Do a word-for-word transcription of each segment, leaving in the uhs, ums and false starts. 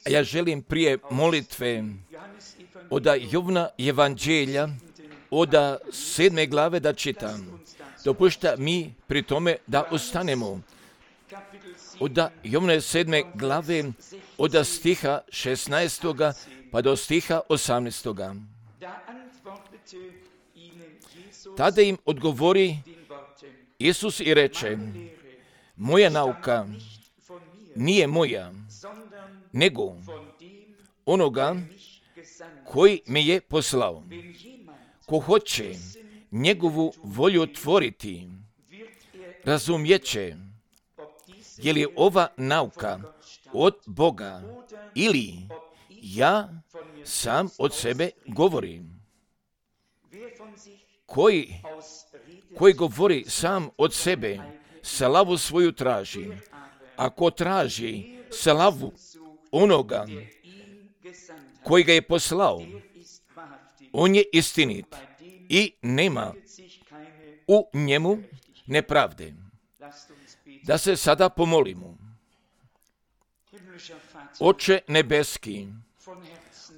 A ja želim prije molitve od Jovna evanđelja, od sedme glave da čitam. Dopušta mi pri tome da ostanemo. Od Jovne sedme glave, od stiha šesnaestoga pa do stiha osamnaestoga. Tada im odgovori Isus i reče: moja nauka nije moja, nego onoga koji me je poslao. Ko hoće njegovu volju tvoriti, razumjeće je li ova nauka od Boga ili ja sam od sebe govorim. Koji, koji govori sam od sebe, slavu svoju traži. Ako traži slavu onoga koji ga je poslao, on je istinit i nema u njemu nepravde. Da se sada pomolimo. Oče nebeski,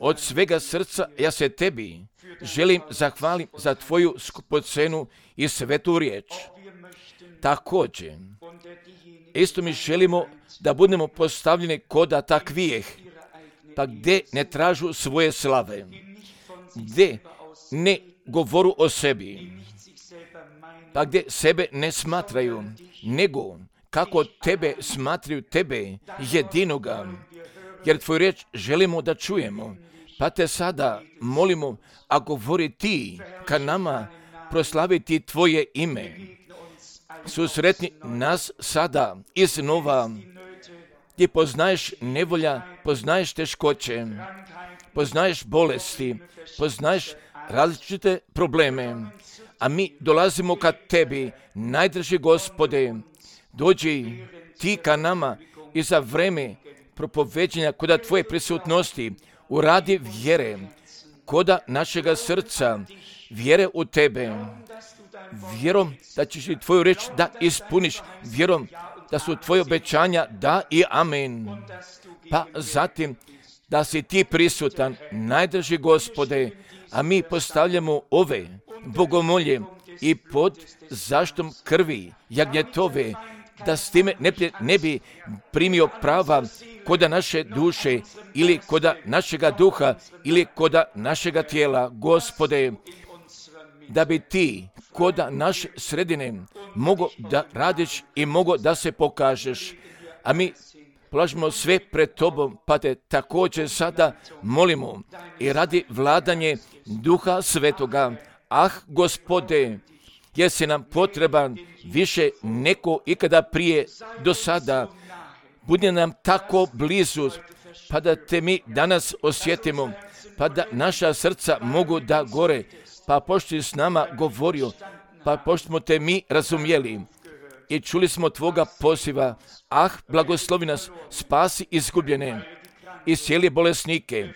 od svega srca ja se tebi želim zahvalim za tvoju skupocenu i svetu riječ. Također, isto mi želimo da budemo postavljeni kod takvijeh, pa gdje ne tražu svoje slave, gdje ne govoru o sebi, pa gdje sebe ne smatraju, nego kako tebe smatraju tebe jedinoga, jer tvoju riječ želimo da čujemo. Pa te sada molimo, a govori ti ka nama, proslaviti tvoje ime. Susretni nas sada iznova, gdje poznaješ nevolja, poznaješ teškoće, poznaješ bolesti, poznaješ različite probleme, a mi dolazimo ka tebi, najdraži Gospode, dođi ti ka nama i za vreme propoveđenja koda tvoje prisutnosti uradi vjere, koda našega srca, vjere u tebe, vjerom da ćeš i tvoju reč da ispuniš, vjerom da su tvoje obećanja da i amen. Pa zatim da si ti prisutan, najdraži Gospode, a mi postavljamo ove bogomolje i pod zaštom krvi jagnjetove, da s time ne, ne bi primio prava koda naše duše ili koda našega duha ili koda našega tijela. Gospode, da bi ti koda naše sredine mogo da radiš i mogo da se pokažeš. A mi polažemo sve pred tobom, pa te također sada molimo i radi vladanje Duha Svetoga. Ah, Gospode, jesi nam potreban više neko ikada prije do sada. Budi nam tako blizu, pa da te mi danas osjetimo, pa da naša srca mogu da gore, pa pošto si s nama govorio, pa pošto smo te mi razumjeli i čuli smo tvoga poziva, ah, blagoslovi nas, spasi izgubljene, iscijeli bolesnike,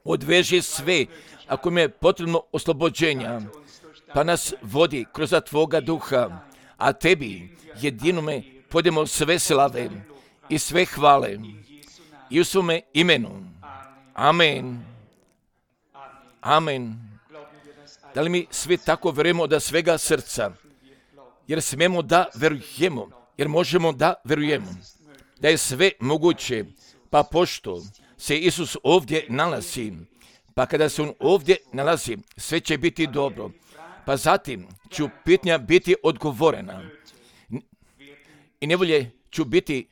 odveži sve, ako mi je potrebno oslobođenja, pa nas vodi kroz tvoga duha, a tebi jedinome podemo sve slave i sve hvale i u svome imenu. Amen. Amen. Da li mi svi tako vjerujemo da svega srca, jer smemo da verujemo, jer možemo da verujemo, da je sve moguće, pa pošto se Isus ovdje nalazi, pa kada se on ovdje nalazi, sve će biti dobro. Pa zatim ću pitanja biti odgovorena i nevolje ću biti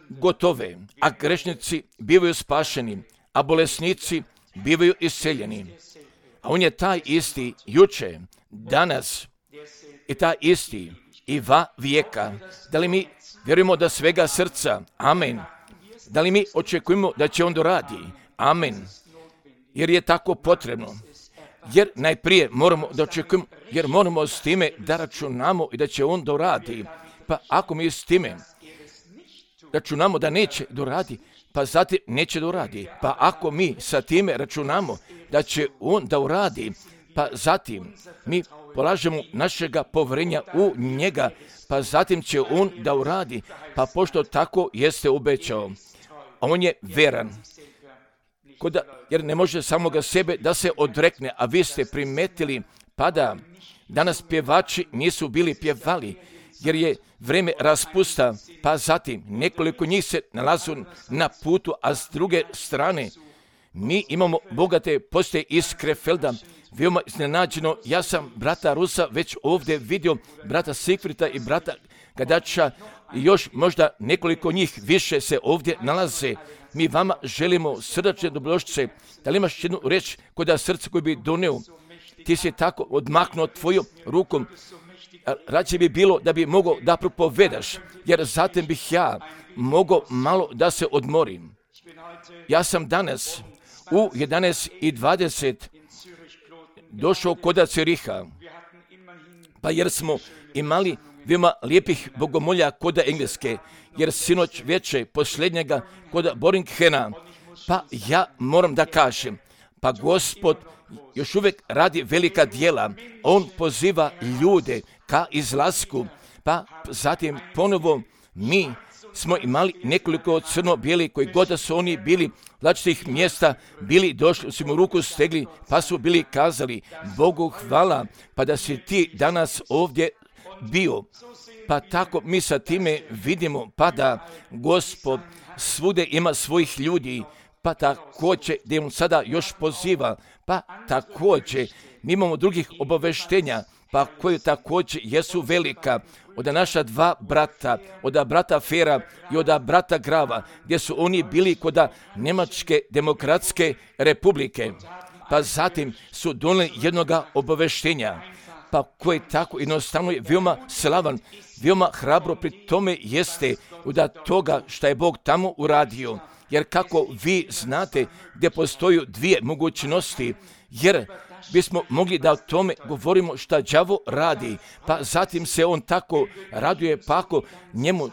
gotove, a grešnici bivaju spašeni, a bolesnici bivaju isceljeni. A on je taj isti juče, danas i taj isti i va vijeka. Da li mi vjerujemo da svega srca? Amen. Da li mi očekujemo da će on doradi? Amen. Jer je tako potrebno. Jer najprije moramo da očekujemo, jer moramo s time da računamo i da će on doradi. Pa ako mi s time računamo da neće doradi, pa zatim neće doradi. Pa ako mi sa time računamo da će on da uradi, pa zatim mi polažemo našega povjerenja u njega, pa zatim će on da uradi, pa pošto tako jeste obećao. A on je veran. Koda, jer ne može samoga sebe da se odrekne, a vi ste primetili pa da danas pjevači nisu bili pjevali, jer je vreme raspusta, pa zatim nekoliko njih se nalazu na putu, a s druge strane mi imamo bogate postoje iz Krefelda. Veoma iznenađeno, ja sam brata Rusa već ovdje vidio, brata Sikvrita i brata Gadača i još možda nekoliko njih više se ovdje nalaze. Mi vama želimo srdačne dobrodošlice. Da li imaš jednu reč koda srce koji bi doneo? Ti si tako odmaknuo tvojom rukom. Rađe bi bilo da bi mogao da propovedaš, jer zatim bih ja mogao malo da se odmorim. Ja sam danas u jedanaest i dvadeset došao koda Ciriha, pa jer smo imali veoma lijepih bogomolja koda Engleske, jer sinoć večer posljednjega koda Boringhena, pa ja moram da kažem, pa Gospod još uvijek radi velika djela, on poziva ljude ka izlasku, pa zatim ponovo mi smo imali nekoliko crno-bijeli koji god da su oni bili različitih mjesta, bili došli, su mu ruku stegli, pa su bili kazali Bogu hvala, pa da si ti danas ovdje bio. Pa tako mi sa time vidimo, pa da Gospod svude ima svojih ljudi, pa također da im sada još poziva, pa također mi imamo drugih obaveštenja, pa koje također jesu velika, od naša dva brata, od brata Fera i od brata Grava, gdje su oni bili kod Njemačke demokratske republike, pa zatim su donijeli jednoga obaveštenja, pa koje tako jednostavno je veoma slavan, veoma hrabro pri tome jeste od toga što je Bog tamo uradio. Jer kako vi znate gdje postoju dvije mogućnosti, jer bismo mogli da o tome govorimo šta đavo radi, pa zatim se on tako raduje, pa ako njemu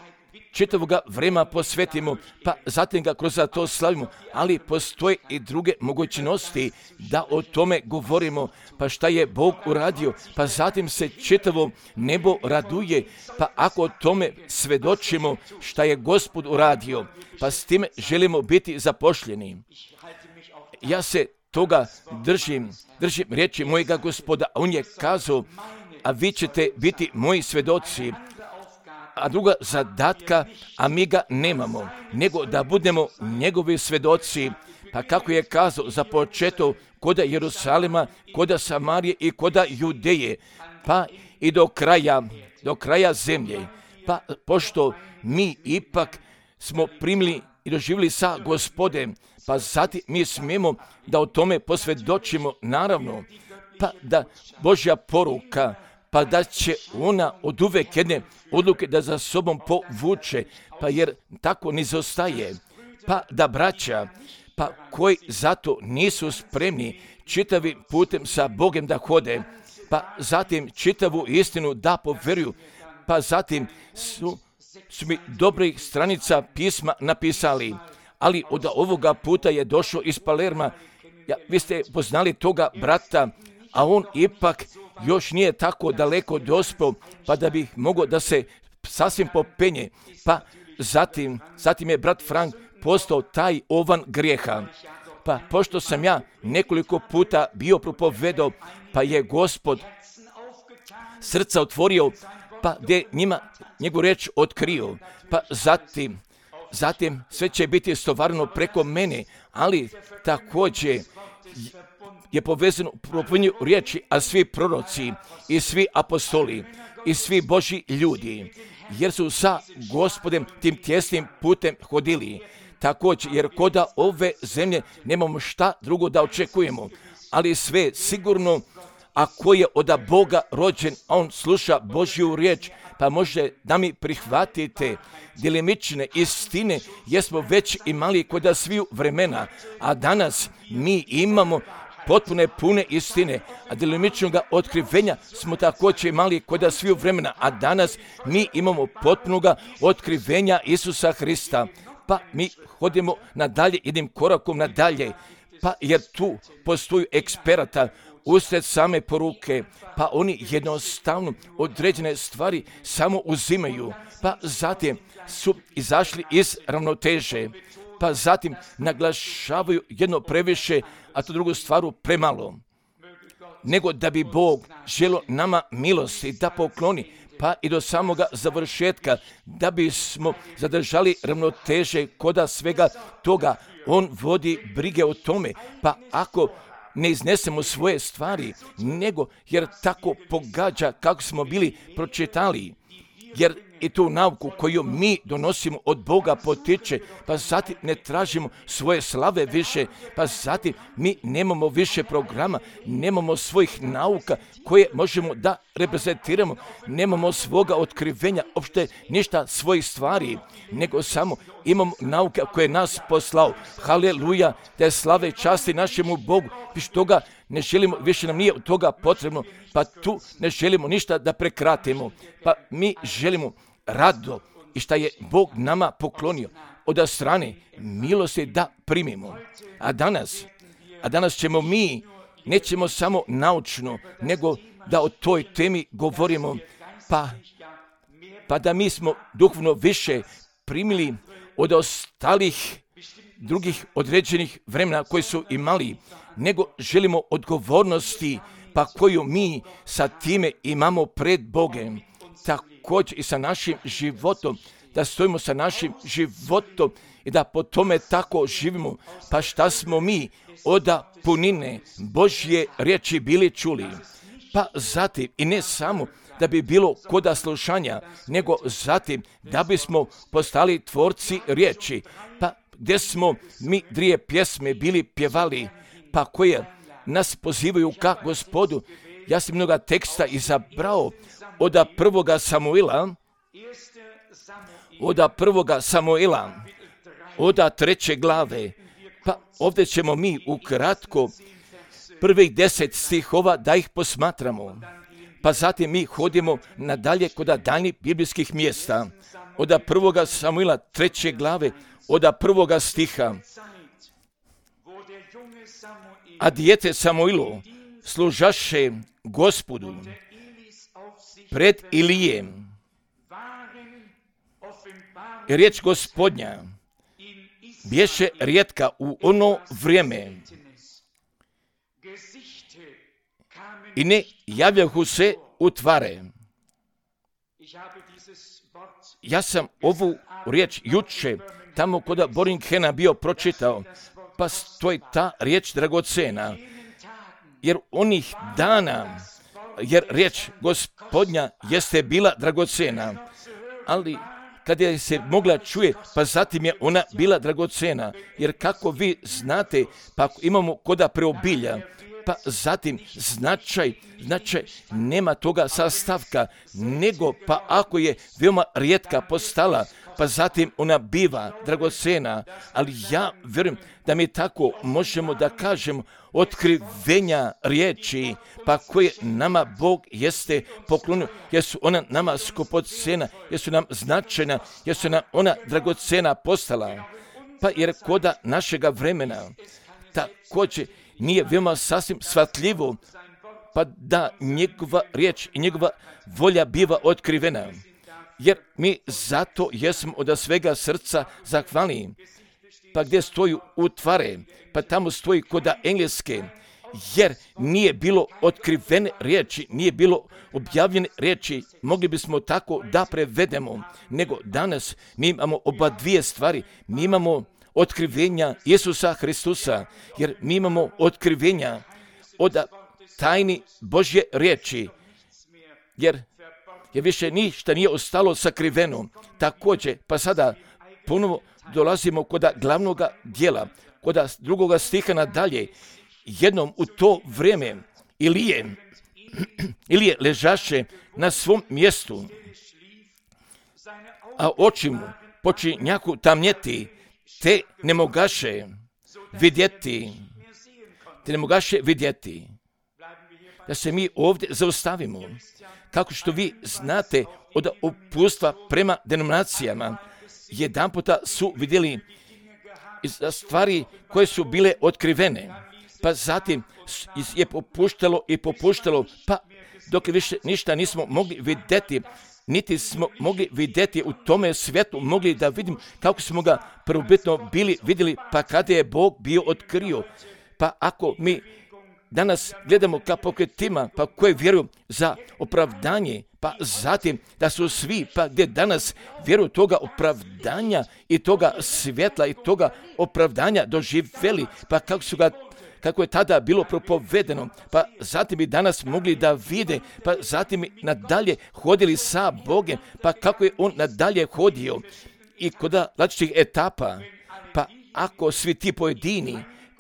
čitavoga vremena posvetimo, pa zatim ga kroz to slavimo, ali postoje i druge mogućnosti da o tome govorimo, pa šta je Bog uradio, pa zatim se čitavo nebo raduje, pa ako o tome svedočimo šta je Gospod uradio, pa s time želimo biti zapošljeni. Ja se toga držim, držim riječi mojega Gospoda, a on je kazao, a vi ćete biti moji svedoci, a druga zadatka, a mi ga nemamo, nego da budemo njegovi svedoci, pa kako je kazao za početak koda Jerusalima, koda Samarije i koda Judeje, pa i do kraja, do kraja zemlje, pa pošto mi ipak smo primili i doživjeli sa Gospodem, pa zatim mi smijemo da o tome posvjedočimo, naravno, pa da Božja poruka, pa da će ona od uvek jedne odluke da za sobom povuče, pa jer tako ne zostaje, pa da braća, pa koji zato nisu spremni čitavim putem sa Bogom da hode, pa zatim čitavu istinu da poveruju, pa zatim su, su mi dobrih stranica pisma napisali, ali od ovoga puta je došao iz Palerma, ja, vi ste poznali toga brata, a on ipak još nije tako daleko dospio, pa da bih mogao da se sasvim popenje, pa zatim, zatim je brat Frank postao taj ovan grijeha. Pa pošto sam ja nekoliko puta bio propovedao, pa je Gospod srca otvorio, pa gdje njima njegovu riječ otkrio, pa zatim, zatim sve će biti stvarno preko mene, ali također je povezano u propovinju riječi, a svi proroci i svi apostoli i svi Božji ljudi, jer su sa Gospodem tim tjesnim putem hodili. Također, jer koda ove zemlje nemamo šta drugo da očekujemo, ali sve sigurno, ako je od Boga rođen, a on sluša Božju riječ, pa može da mi prihvatite djelimične istine, jer smo već imali koda sviju vremena, a danas mi imamo potpune pune istine, a djelimičnog otkrivenja smo također imali koda sviju vremena, a danas mi imamo potpunoga otkrivenja Isusa Hrista, pa mi hodimo nadalje, jednim korakom nadalje, pa jer tu postoju eksperata, usred same poruke, pa oni jednostavno određene stvari samo uzimaju, pa zatim su izašli iz ravnoteže, pa zatim naglašavaju jedno previše, a to drugu stvaru premalo. Nego da bi Bog želio nama milosti da pokloni, pa i do samoga završetka, da bismo zadržali ravnoteže koda svega toga. On vodi brige o tome, pa ako ne iznesemo svoje stvari, nego jer tako pogađa kako smo bili pročitali, jer i tu nauku koju mi donosimo od Boga potiče, pa zatim ne tražimo svoje slave više, pa zatim mi nemamo više programa, nemamo svojih nauka koje možemo da reprezentiramo, nemamo svoga otkrivenja, uopšte ništa svojih stvari, nego samo imamo nauke koje je nas poslao. Haleluja, da je slave i časti našemu Bogu, više toga ne želimo, više nam nije od toga potrebno, pa tu ne želimo ništa da prekratimo, pa mi želimo rado i šta je Bog nama poklonio od strane milosti da primimo. A danas, a danas ćemo mi, nećemo samo naučno, nego da o toj temi govorimo, pa, pa da mi smo duhovno više primili od ostalih drugih određenih vremena koji su imali, nego želimo odgovornosti, pa koju mi sa time imamo pred Bogem. Također i sa našim životom, da stojimo sa našim životom i da po tome tako živimo. Pa šta smo mi od punine Božje riječi bili čuli? Pa zatim i ne samo da bi bilo koda slušanja, nego zatim da bismo postali tvorci riječi, pa gdje smo mi dvije pjesme bili pjevali, pa koje nas pozivaju ka Gospodu. Ja sam mnoga teksta izabrao od prvoga Samuila, od prvoga Samuila, od treće glave, pa ovdje ćemo mi ukratko prvih deset stihova da ih posmatramo, pa zatim mi hodimo nadalje kod daljnjih biblijskih mjesta, od prvoga Samuila treće glave, od prvoga stiha. A dijete Samuilo služaše Gospodu pred Ilijem. I riječ Gospodnja bješe rijetka u ono vrijeme i ne javljahu se u tvare. Ja sam ovu riječ juče tamo kod Boringhena bio pročitao, pa stoji ta riječ dragocena, jer onih dana, jer riječ Gospodnja jeste bila dragocena, ali kada je se mogla čuje, pa zatim je ona bila dragocena, jer kako vi znate, pa ako imamo koda preobilja, pa zatim značaj, značaj nema toga sastavka, nego pa ako je veoma rijetka postala, pa zatim ona biva dragocena, ali ja vjerujem da mi tako možemo da kažemo otkrivenja riječi, pa koje nama Bog jeste poklonio, jer su ona nama skupocena, jer su nam značajna, jer su nam ona dragocena postala, pa jer koda našega vremena također nije veoma sasvim shvatljivo, pa da njegova riječ i njegova volja biva otkrivena. Jer mi zato jesmo od svega srca zahvalni. Pa gdje stoju u tvare, pa tamo stoji koda engleske, jer nije bilo otkrivene riječi, nije bilo objavljene riječi, mogli bismo tako da prevedemo, nego danas mi imamo oba dvije stvari, mi imamo otkrivenja Isusa Hristusa, jer mi imamo otkrivenja od tajni Božje riječi, jer je više ništa nije ostalo sakriveno. Također, pa sada ponovo dolazimo kod glavnog dijela, kod drugoga stiha nadalje. Jednom u to vrijeme Ilije, Ilije ležaše na svom mjestu, a oči mu počinjahu tamnjeti, te ne mogaše vidjeti, te ne mogaše vidjeti. Da se mi ovdje zaustavimo. Kako što vi znate od upustva prema denominacijama, jedan puta su vidjeli stvari koje su bile otkrivene, pa zatim je popuštalo i popuštalo, pa dok više ništa nismo mogli vidjeti, niti smo mogli vidjeti u tome svijetu, mogli da vidim kako smo ga prvobitno bili vidjeli, pa kada je Bog bio otkrio. Pa ako mi danas gledamo ka pokretima, pa koje vjeruju za opravdanje, pa zatim da su svi, pa gdje danas vjeruju toga opravdanja i toga svjetla i toga opravdanja doživjeli, pa kako su ga kako je tada bilo propovedeno, pa zatim bi danas mogli da vide, pa zatim bi nadalje hodili sa Bogom, pa kako je on nadalje hodio i kod različitih etapa, pa ako svi ti pojedini,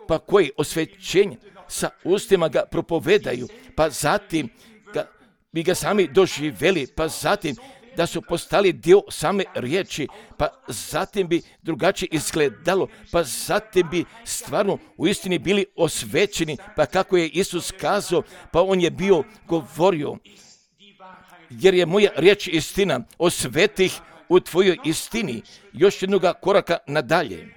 pa koji osvećenje sa ustima ga propovedaju, pa zatim ga, bi ga sami doživjeli, pa zatim da su postali dio same riječi, pa zatim bi drugačije izgledalo, pa zatim bi stvarno u istini bili osvećeni, pa kako je Isus kazao, pa on je bio govorio, jer je moja riječ istina, osvetih u tvojoj istini, još jednoga koraka nadalje.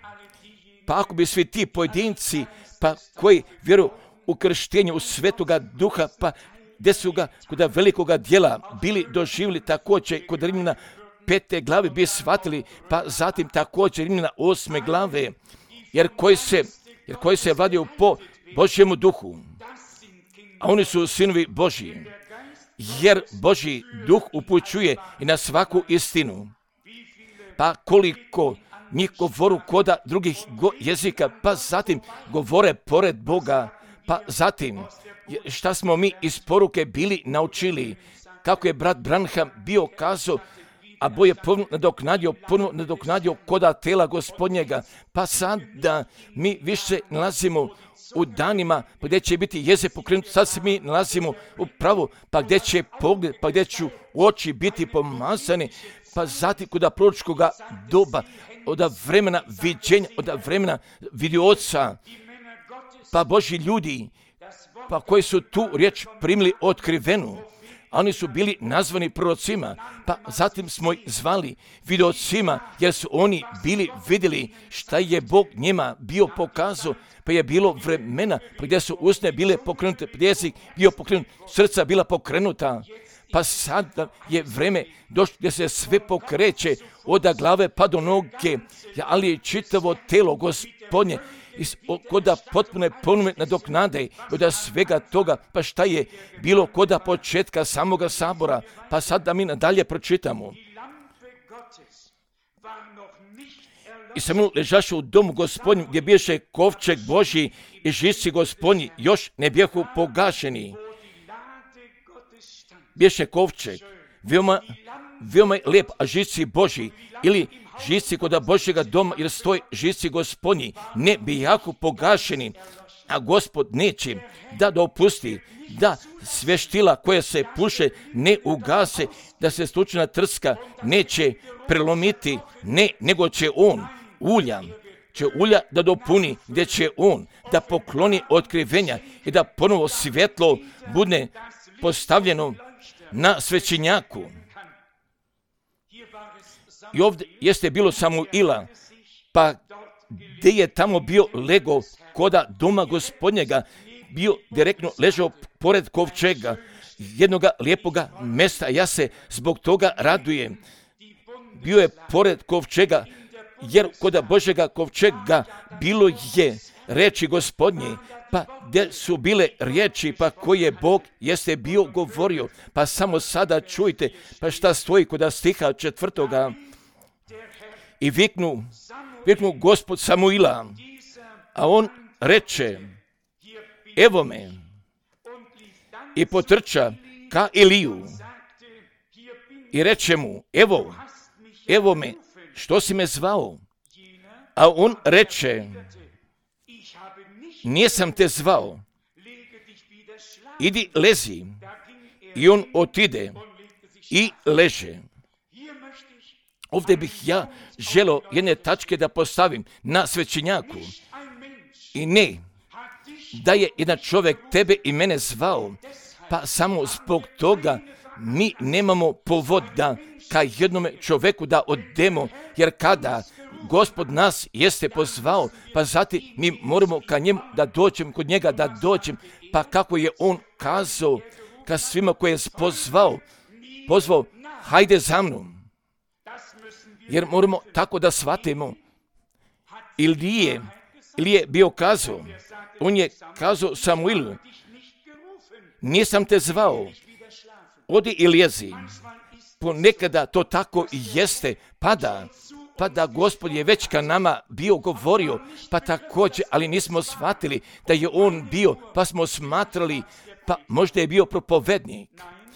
Pa ako bi svi ti pojedinci, pa koji vjeruju u krštenje u Svetoga Duha, pa gdje su ga kod velikoga dijela bili doživjeli također kod Rimljana pete glave bi shvatili, pa zatim također Rimljana osme glave, jer koji se, jer koji se vladaju po Božjemu duhu, a oni su sinovi Božji, jer Božji duh upućuje i na svaku istinu. Pa koliko njih govoru koda drugih go- jezika, pa zatim govore pored Boga, pa zatim šta smo mi iz poruke bili naučili, kako je brat Branham bio kazao, a Bog je ponovno nadoknadio, ponovno nadoknadio koda tela Gospodnjega, pa sada mi više nalazimo u danima, pa gdje će biti jezik pokrenut, sad se mi nalazimo u pravu, pa gdje će pogled, pa gdje ću oči biti pomazani, pa zatim kod proročkoga doba, od vremena viđenja, od vremena vidioca, pa Božji ljudi, pa koji su tu riječ primili otkrivenu, a oni su bili nazvani prorocima, pa zatim smo ih zvali videocima, jer su oni bili vidjeli šta je Bog njima bio pokazao, pa je bilo vremena pa gdje su usne bile pokrenute, jezik bio pokrenut, srca bila pokrenuta, pa sada je vreme došlo gdje se sve pokreće od glave pa do noge, ali je čitavo telo Gospodnje, koda potpune ponume nadoknade od svega toga, pa šta je bilo koda početka samoga sabora, pa sad da mi nadalje pročitamo. I samo ležaše u domu Gospodnjem gdje biješe kovčeg Božji i žisci Gospodnji još ne bijehu pogašeni. Biješe kovčeg, veoma, veoma je lijep, a žisci Božji ili žisci koda Božjega doma, jer stoji žisci Gospodnji, ne bijahu pogašeni, a Gospod neće da dopusti da sveštila koje se puše ne ugase, da se stučna trska neće prelomiti, ne, nego će on ulja, će ulja da dopuni, gdje će on da pokloni otkrivenja i da ponovo svjetlo bude postavljeno na svećenjaku. I ovdje jeste bilo Samuila, pa gdje je tamo bio lego koda doma Gospodnjega, bio direktno ležao pored kovčega, jednoga lijepoga mesta, ja se zbog toga radujem. Bio je pored kovčega, jer koda Božjega kovčega bilo je reči Gospodnje, pa gdje su bile riječi, pa koje Bog jeste bio govorio, pa samo sada čujte, pa šta stoji koda stiha četvrtoga. I viknu, viknu Gospod Samuila, a on reče, evo me, i potrča ka Eliju i reče mu, evo, evo me, što si me zvao? A on reče, nisam te zvao, idi lezi. I on otide i leže. Ovdje bih ja želio jedne tačke da postavim na svećenjaku. I ne, da je jedan čovjek tebe i mene zvao, pa samo zbog toga mi nemamo povoda ka jednome čovjeku da odemo, jer kada Gospod nas jeste pozvao, pa zatim mi moramo ka njemu da dođem, kod njega da dođem, pa kako je on kazao ka svima koje je pozvao, pozvao, hajde za mnom. Jer moramo tako da shvatimo. Ilije, Ilije bio kazao, on je kazao Samuilu, nisam te zvao, odi i lijezi. Ponekada to tako i jeste, pada, pa da Gospod je već ka nama bio govorio, pa također, ali nismo shvatili da je on bio, pa smo smatrali, pa možda je bio propovednik.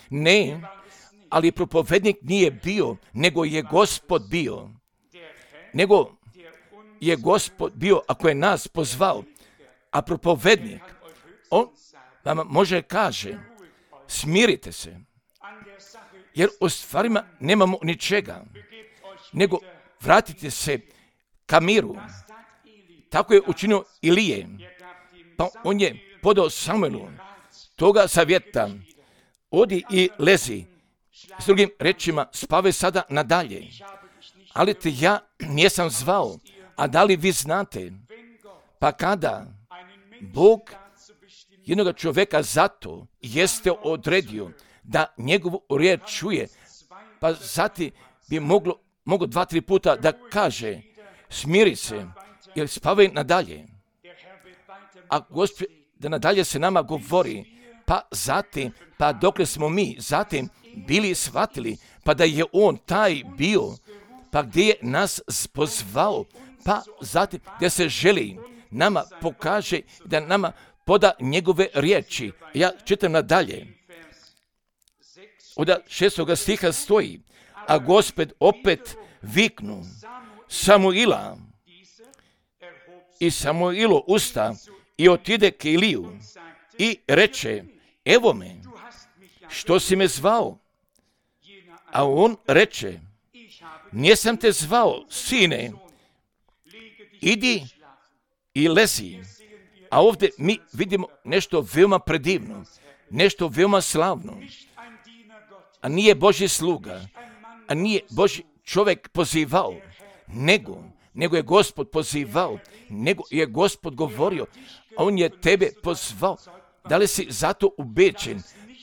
Ne, ali propovednik nije bio, nego je Gospod bio. Nego je Gospod bio, ako je nas pozvao, a propovednik, on vam može kaže, smirite se, jer u stvarima nemamo ničega, nego vratite se ka miru. Tako je učinio Ilije, pa on je podao Samuelu toga savjeta, odi i lezi, s drugim rečima, spavaj sada nadalje, ali te ja nisam zvao, a da li vi znate, pa kada Bog jednog čovjeka zato jeste odredio da njegovu riječ čuje, pa zatim bi moglo, moglo dva, tri puta da kaže, smiri se, jer spavaj nadalje. A Gospod da nadalje se nama govori, pa zatim, pa dokle smo mi zatim bili shvatili, pa da je on taj bio, pa gdje je nas pozvao, pa zatim gdje se želi nama pokaže, da nama poda njegove riječi. Ja čitam nadalje. Od šestoga stiha stoji, a Gospod opet viknu Samuila i Samuilo usta i otide k Iliju i reče, evo me, što si me zvao? A on reče, nisam te zvao, sine, idi i lezi. A ovdje mi vidimo nešto veoma predivno, nešto veoma slavno. A nije Božji sluga, a nije Božji čovjek pozivao, nego, nego je Gospod pozivao, nego je Gospod govorio, a on je tebe pozvao. Da li si zato ubeđen?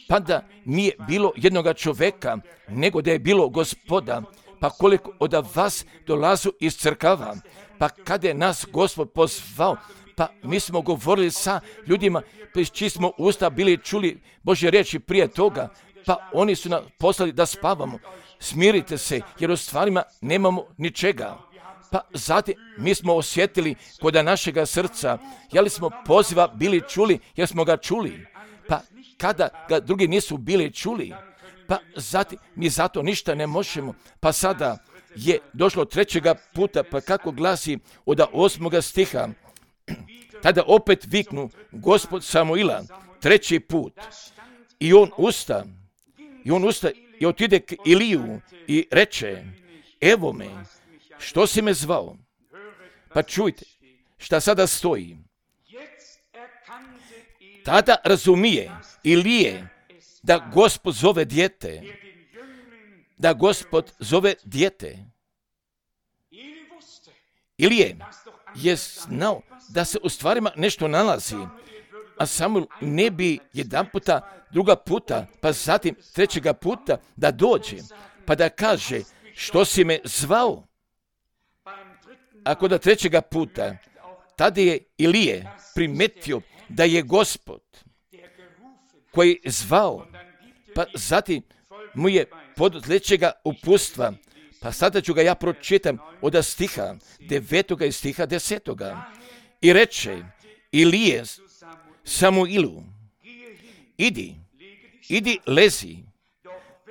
Pa da nije bilo jednoga čovjeka, nego da je bilo Gospoda, pa koliko od vas dolazu iz crkava, pa kada je nas Gospod pozvao, pa mi smo govorili sa ljudima, iz čiji smo usta bili čuli Božje riječi prije toga, pa oni su nas poslali da spavamo. Smirite se, jer u stvarima nemamo ničega. Pa zatim mi smo osjetili kod našega srca, je li smo poziva bili čuli, jer smo ga čuli. Pa kada ga drugi nisu bili čuli, pa zatim mi zato ništa ne možemo. Pa sada je došlo trećega puta, pa kako glasi od osmoga stiha, tada opet viknu Gospod Samuila treći put i on usta, i on usta i otide k Iliju i reče, evo me, što si me zvao? Pa čujte šta sada stoji. Tada razumije Ilije da Gospod zove dijete, da Gospod zove dijete. Ilije je znao da se u stvarima nešto nalazi, a Samuel ne bi jedan puta, druga puta, pa zatim trećega puta da dođe, pa da kaže, što si me zvao? Ako da trećega puta, tada je Ilije primetio da je Gospod koji je zvao, pa zatim mu je pod sljedećega upustva, pa sada ću ga ja pročitam od stiha devetoga i stiha desetoga. I reče Ilije Samuilu, idi, idi lezi,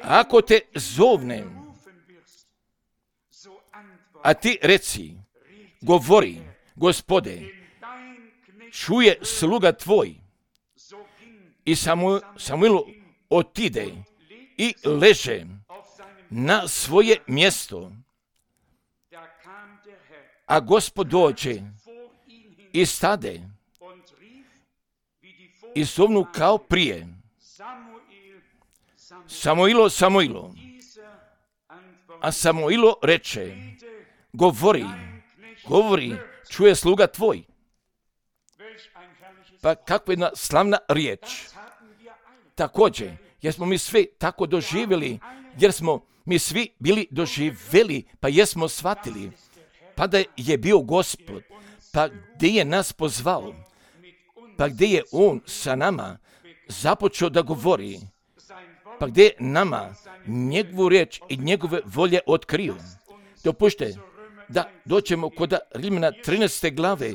ako te zovnem, a ti reci, govori, Gospode, čuje sluga tvoj. I Samu, Samuilu otide i leže na svoje mjesto. A Gospod dođe i stade i zovnu kao prije. Samuilo, Samuilo. A Samuilo reče, govori, govori, čuje sluga tvoj. Pa kakva jedna slavna riječ. Također, jer smo mi svi tako doživjeli, jer smo mi svi bili doživjeli, pa jesmo shvatili, pa da je bio Gospod, pa gdje je nas pozvao, pa gdje je On sa nama započeo da govori, pa gdje je nama njegovu riječ i njegove volje otkrio. Dopušte da dođemo kod Rimljana trinaeste glave,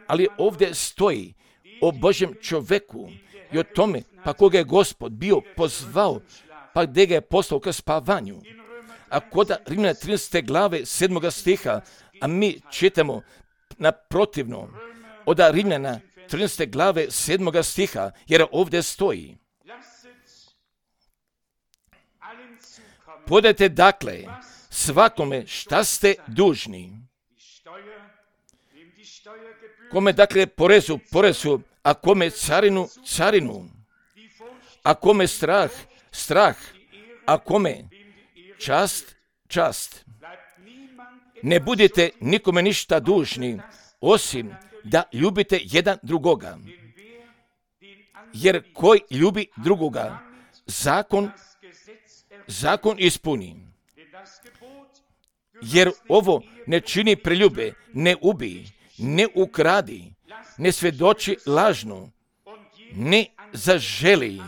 ali ovdje stoji o Božjem čovjeku i o tome, pa koga je Gospod bio pozvao, pa gdje ga je poslao ka spavanju. A kod Rimljana trinaeste glave sedmoga stiha, a mi čitamo naprotivno od Rimljana trinaeste glave sedmoga stiha, jer ovdje stoji: podajte dakle svakome šta ste dužni. Kome dakle porezu, porezu, a kome carinu, carinu, a kome strah, strah, a kome čast, čast. Ne budete nikome ništa dužni, osim da ljubite jedan drugoga. Jer koji ljubi drugoga, zakon, zakon ispuni. Jer ovo ne čini preljube, ne ubij, ne ukradi, ne svjedoči lažno, ne zaželi.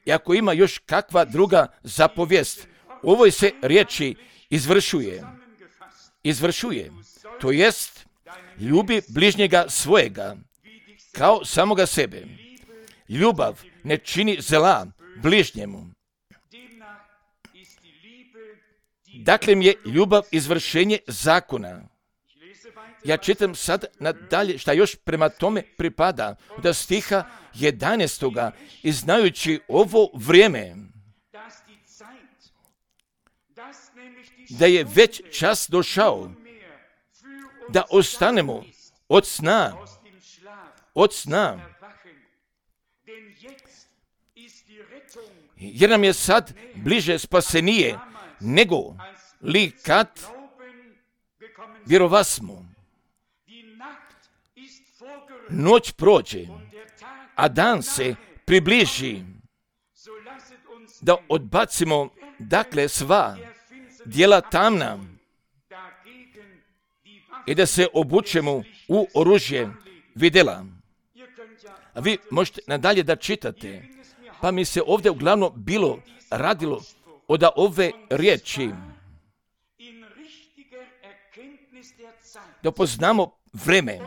I ako ima još kakva druga zapovijest, u ovoj se riječi izvršuje. Izvršuje, to jest ljubi bližnjega svojega kao samoga sebe. Ljubav ne čini zla bližnjemu. Dakle mi je ljubav izvršenje zakona. Ja čitam sad nadalje šta još prema tome pripada od stiha jedanaestoga i znajući ovo vrijeme, da je već čas došao da ostanemo od sna, od sna. Jer nam je sad bliže spasenije nego li kad vjerovasmo. Noć prođe, a dan se približi, da odbacimo dakle sva djela tamna i da se obučemo u oružje vidjela. A vi možete nadalje da čitate, pa mi se ovdje uglavnom bilo radilo od ove riječi, da poznamo vreme.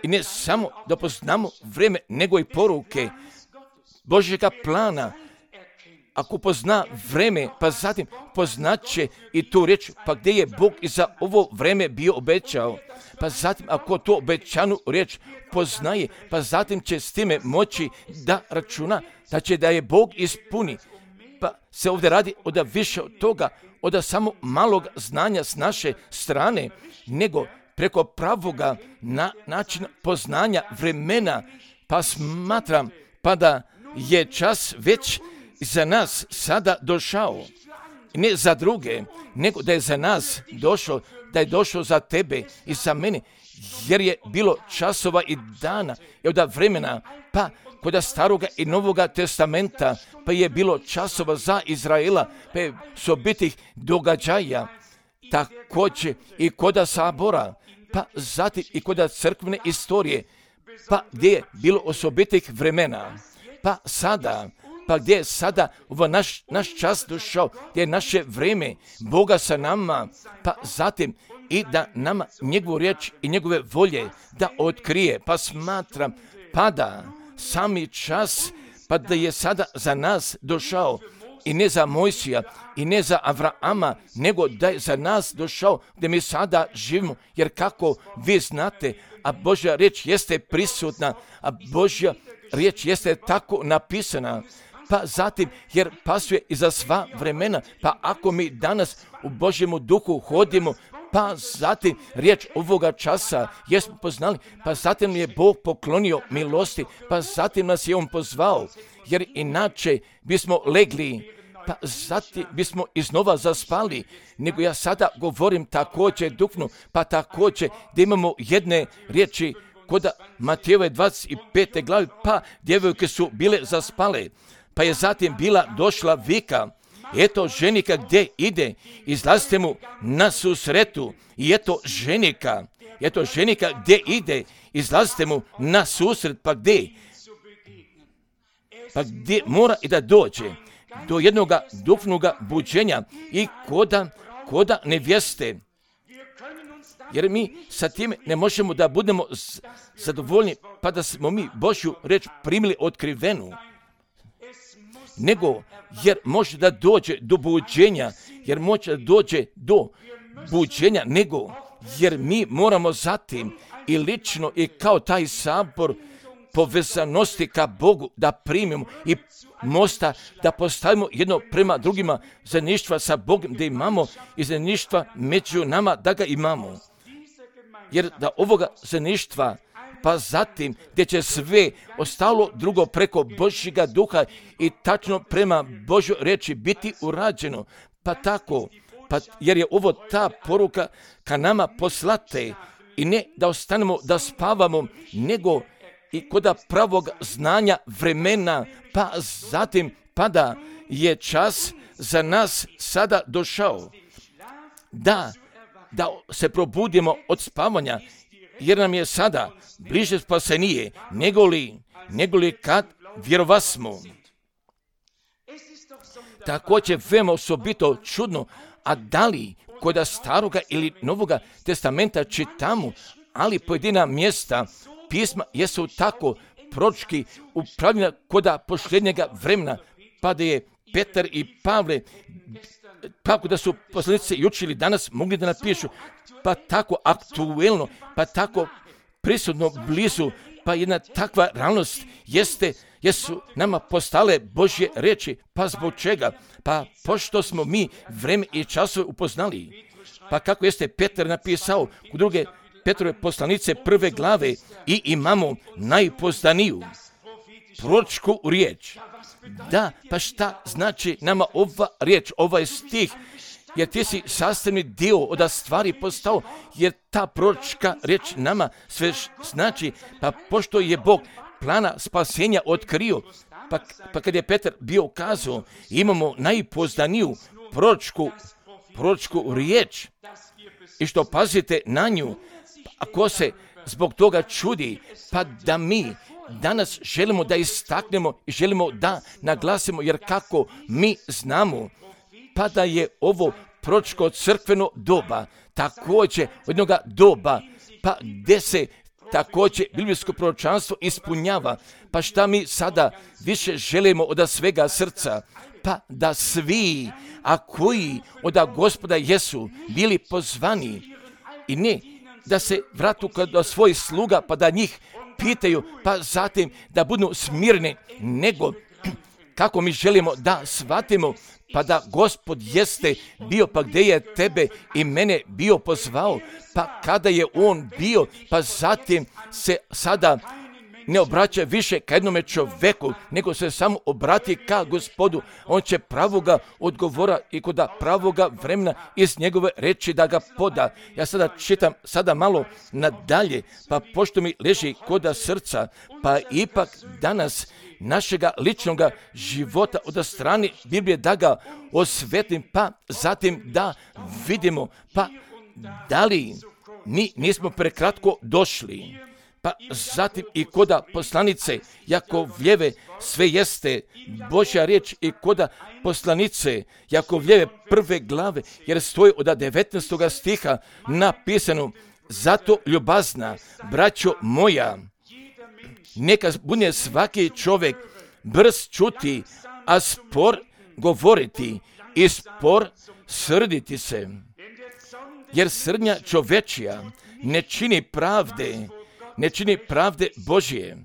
I ne samo da poznamo vreme, nego i poruke Božjega plana. Ako pozna vreme, pa zatim poznaće i tu riječ, pa gdje je Bog i za ovo vreme bio obećao. Pa zatim ako to obećanu riječ poznaje, pa zatim će s time moći da računa, da će da je Bog ispuni. Pa se ovdje radi od više od toga, od samo malog znanja s naše strane, nego preko pravoga na način poznanja vremena, pa smatram pa da je čas već za nas sada došao. Ne za druge, nego da je za nas došao, da je došao za tebe i za mene, jer je bilo časova i dana i od vremena, pa kod staroga i novoga testamenta, pa je bilo časova za Izraela, pa je sobitih događaja, također i kod sabora, pa zatim i kod crkvene istorije, pa gdje je bilo osobitih vremena, pa sada, pa gdje je sada ovo naš, naš čas došao, gdje je naše vrijeme Boga sa nama, pa zatim i da nama njegovu riječ i njegove volje da otkrije, pa smatram, pa da sami čas, pa da je sada za nas došao, i ne za Mojsija, i ne za Avrama, nego da je za nas došao, gdje mi sada živimo, jer kako vi znate, a Božja riječ jeste prisutna, a Božja riječ jeste tako napisana, pa zatim, jer pasuje i za sva vremena, pa ako mi danas u Božjemu duhu hodimo, pa zatim riječ ovoga časa jesmo poznali, pa zatim je Bog poklonio milosti, pa zatim nas je On pozvao, jer inače bismo legli pa zatim bismo iznova zaspali, nego ja sada govorim također duhnu, pa također da imamo jedne riječi kod Matejove dvadeset pete glavi, pa djevojke su bile zaspale, pa je zatim bila došla vika, eto ženika gdje ide, izlazite mu na susretu, i eto ženika, eto ženika gdje ide, izlazite mu na susret, pa gdje? Pa gdje mora i da dođe? Do jednog duhovnog buđenja i koda, koda nevjeste. Jer mi sa tim ne možemo da budemo zadovoljni, pa da smo mi Božju reč primili otkrivenu. Nego, jer može da dođe do buđenja, jer može da dođe do buđenja, nego, jer mi moramo zatim i lično i kao taj sabor povezanosti ka Bogu da primimo i mosta da postavimo jedno prema drugima, zajedništva sa Bogom da imamo i zajedništva među nama da ga imamo. Jer da ovoga zajedništva, pa zatim gdje će sve ostalo drugo preko Božjega duha i tačno prema Božjoj reči biti urađeno, pa tako, pa jer je ovo ta poruka ka nama poslate i ne da ostanemo da spavamo, nego i kod pravog znanja vremena, pa zatim pada je čas za nas sada došao. Da, da se probudimo od spavanja, jer nam je sada bliže spasenije, nego li, nego li kad vjerovasmo. Također veoma osobito čudno, a da li kod staroga ili novoga testamenta čitamo, ali pojedina mjesta pisma jesu tako proročki upravljena kod posljednjega vremena, pa da je Petar i Pavle, kako da su poslanici i učili danas mogli da napišu, pa tako aktuelno, pa tako prisutno blizu, pa jedna takva realnost jeste, jesu nama postale Božje reči, pa zbog čega? Pa pošto smo mi vreme i časove upoznali, pa kako jeste Petar napisao u druge Petrove poslanice prve glave i imamo najpoznaniju proročku riječ. Da, pa šta znači nama ova riječ, ovaj stih, jer ti si sastavni dio od stvari postao, jer ta proročka riječ nama sve znači, pa pošto je Bog plana spasenja otkrio, pa, pa kad je Petar bio kazao, imamo najpoznaniju proročku, proročku riječ, i što pazite na nju, ako se zbog toga čudi, pa da mi danas želimo da istaknemo i želimo da naglasimo, jer kako mi znamo, pa da je ovo proročko crkveno doba, također od jednog doba, pa gdje se također biblijsko proročanstvo ispunjava, pa šta mi sada više želimo od svega srca, pa da svi, a koji od Gospoda jesu bili pozvani, i ne da se vratu kod svojih sluga, pa da njih pitaju, pa zatim da budu smirni, nego kako mi želimo da shvatimo, pa da Gospod jeste bio, pa gdje je tebe i mene bio pozvao, pa kada je on bio, pa zatim se sada ne obraća više ka jednome čoveku, nego se samo obrati ka Gospodu. On će pravoga odgovora i kod pravoga vremena iz njegove reči da ga poda. Ja sada čitam sada malo nadalje, pa pošto mi leži kod srca, pa ipak danas našega ličnog života od strane Biblije da ga osvetim, pa zatim da vidimo, pa da li mi nismo prekratko došli. Pa zatim i koda poslanice Jakovljeve sve jeste Božja riječ i koda poslanice Jakovljeve prve glave, jer stoji od devetnaestog stiha napisano, zato ljubazna, braćo moja, neka bude svaki čovjek brz čuti, a spor govoriti i spor srditi se. Jer srdnja čovečija ne čini pravde, ne čini pravde Božje.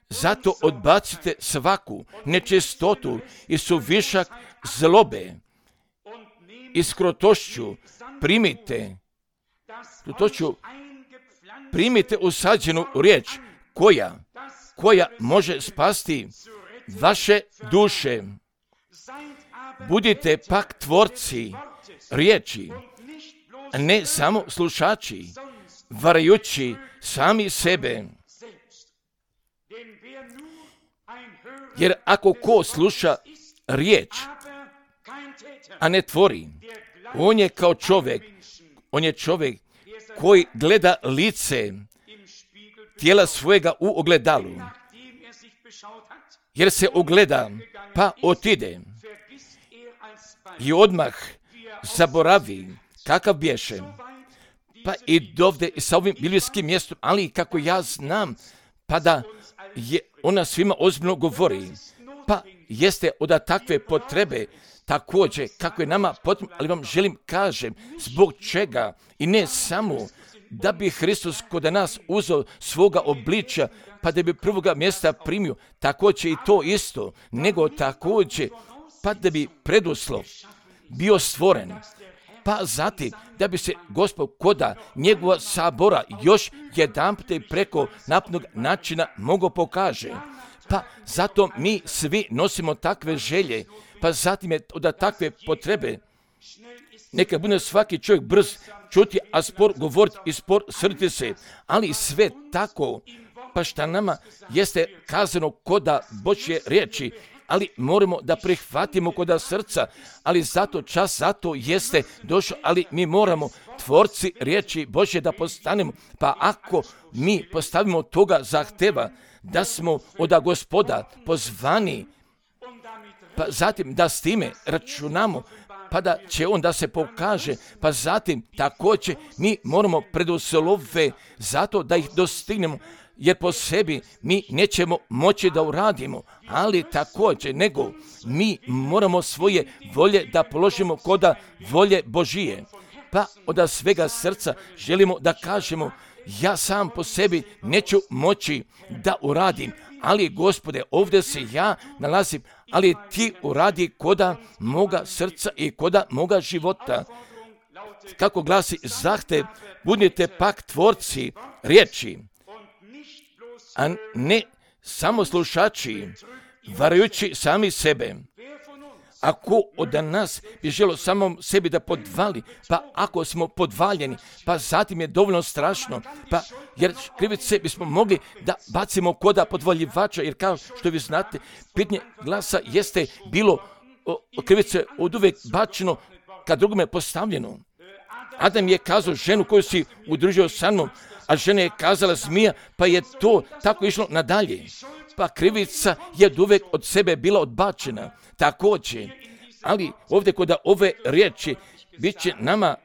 Zato odbacite svaku nečistotu i suvišak zlobe i s krotošću primite, krotošću primite usađenu riječ koja, koja može spasti vaše duše. budite pak tvorci riječi, ne samo slušači, varajući sami sebe. Jer ako ko sluša riječ, a ne tvori, on je kao čovjek, on je čovjek koji gleda lice tijela svojega u ogledalu, jer se ogleda, pa otide i odmah zaboravi kakav bješe. Pa i dovde i sa ovim biblijskim mjestom, ali kako ja znam, pa da je ona svima ozbiljno govori, pa jeste od takve potrebe također kako je nama potrebno, ali vam želim kažem zbog čega i ne samo da bi Hristos kod nas uzeo svoga obličja, pa da bi prvoga mjesta primio, također i to isto, nego također pa da bi preduslov bio stvoren, pa zatim da bi se Gospod koda njegova sabora još jedanput preko napnog načina mogao pokaže. Pa zato mi svi nosimo takve želje, pa zatim je od takve potrebe. Neka bude svaki čovjek brz čuti, a spor govoriti i spor srditi se, ali sve tako, pa šta nama jeste kazano koda Božje riječi, ali moramo da prihvatimo koda srca, ali zato čas zato jeste došao, ali mi moramo tvorci riječi Božje da postanemo, pa ako mi postavimo toga zahteva da smo od Gospoda pozvani, pa zatim da s time računamo, pa da će on da se pokaže, pa zatim također mi moramo preduslove zato da ih dostignemo, jer po sebi mi nećemo moći da uradimo, ali također nego mi moramo svoje volje da položimo koda volje Božije. Pa od svega srca želimo da kažemo, ja sam po sebi neću moći da uradim, ali Gospode, ovdje se ja nalazim, ali ti uradi koda moga srca i koda moga života. Kako glasi zahtev, budite pak tvorci riječi, a ne samo slušači, varajući sami sebe. Ako od nas bi želo samom sebi da podvali, pa ako smo podvaljeni, pa zatim je dovoljno strašno, pa jer krivice bismo mogli da bacimo koda podvaljivača, jer kao što vi znate, pitanje glasa jeste bilo o, krivice od uvijek bačeno kad drugome postavljeno. Adam je kazao ženu koju si udružio sa mnom, a žena je kazala zmija, pa je to tako išlo nadalje. Pa krivica je od uvijek od sebe bila odbačena. Također, ali ovdje kod ove riječi bit će nama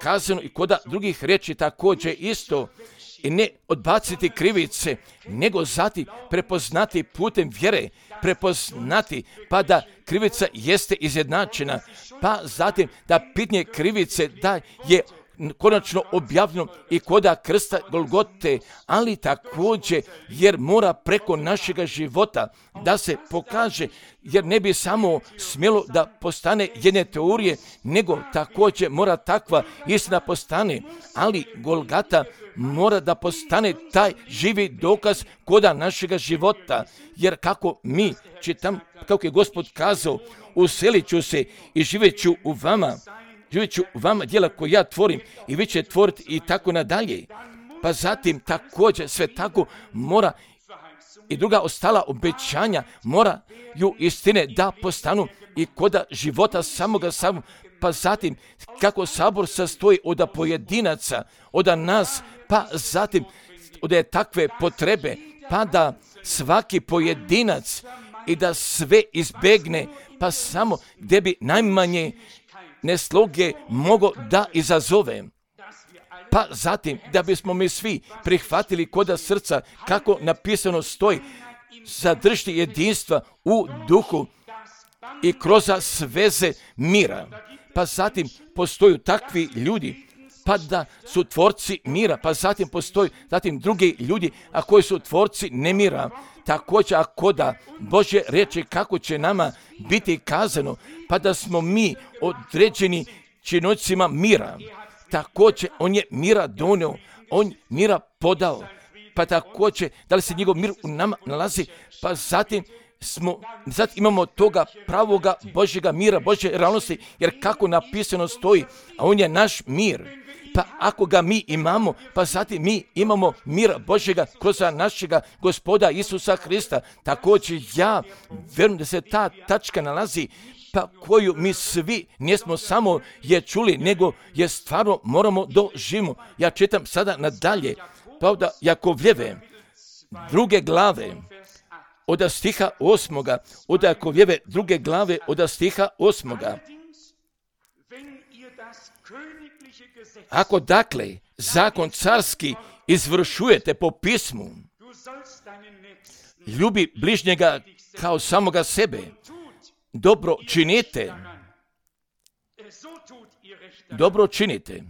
kazano i kod drugih riječi također isto, i ne odbaciti krivice, nego zatim prepoznati putem vjere, prepoznati pa da krivica jeste izjednačena, pa zatim da pitanje krivice da je konačno objavljeno i koda krsta Golgote, ali također jer mora preko našega života da se pokaže, jer ne bi samo smjelo da postane jedne teorije, nego također mora takva istina postane, ali Golgata mora da postane taj živi dokaz koda našega života, jer kako mi čitam, kako je Gospod kazao, uselit ću se i živjet ću u vama, živjet ću u vama djela koje ja tvorim i vi će tvoriti i tako nadalje. Pa zatim također sve tako mora i druga ostala obećanja moraju istine da postanu i koda života samoga samog. Pa zatim kako sabor sastoji od pojedinaca, od nas, pa zatim od takve potrebe, pa da svaki pojedinac i da sve izbegne, pa samo gdje bi najmanje nesloge mogo da izazove. Pa zatim da bismo mi svi prihvatili koda srca, kako napisano stoji, zadržiti jedinstva u duhu i kroz sveze mira. Pa zatim postoju takvi ljudi, pa da su tvorci mira, pa zatim postoji zatim drugi ljudi, a koji su tvorci nemira. Također ako da Božje riječi kako će nama biti kazano, pa da smo mi određeni činovnicima mira. Također on je mira donio, on mira podao, pa također da li se njegov mir u nama nalazi, pa zatim smo, sad imamo toga pravoga Božjega mira, Božje realnosti, jer kako napisano stoji, a on je naš mir. Pa ako ga mi imamo, pa zatim mi imamo mira Božjega kroz našega Gospoda Isusa Hrista. Također ja vjerujem da se ta tačka nalazi, pa koju mi svi nismo samo je čuli, nego je stvarno moramo doživimo. Ja čitam sada nadalje, pravda Jakovljeve, druge glave, od stiha osmoga, od Jakovljeve, druge glave, od stiha osmoga. Ako dakle zakon carski izvršujete po pismu, ljubi bližnjega kao samoga sebe, dobro činite, dobro činite.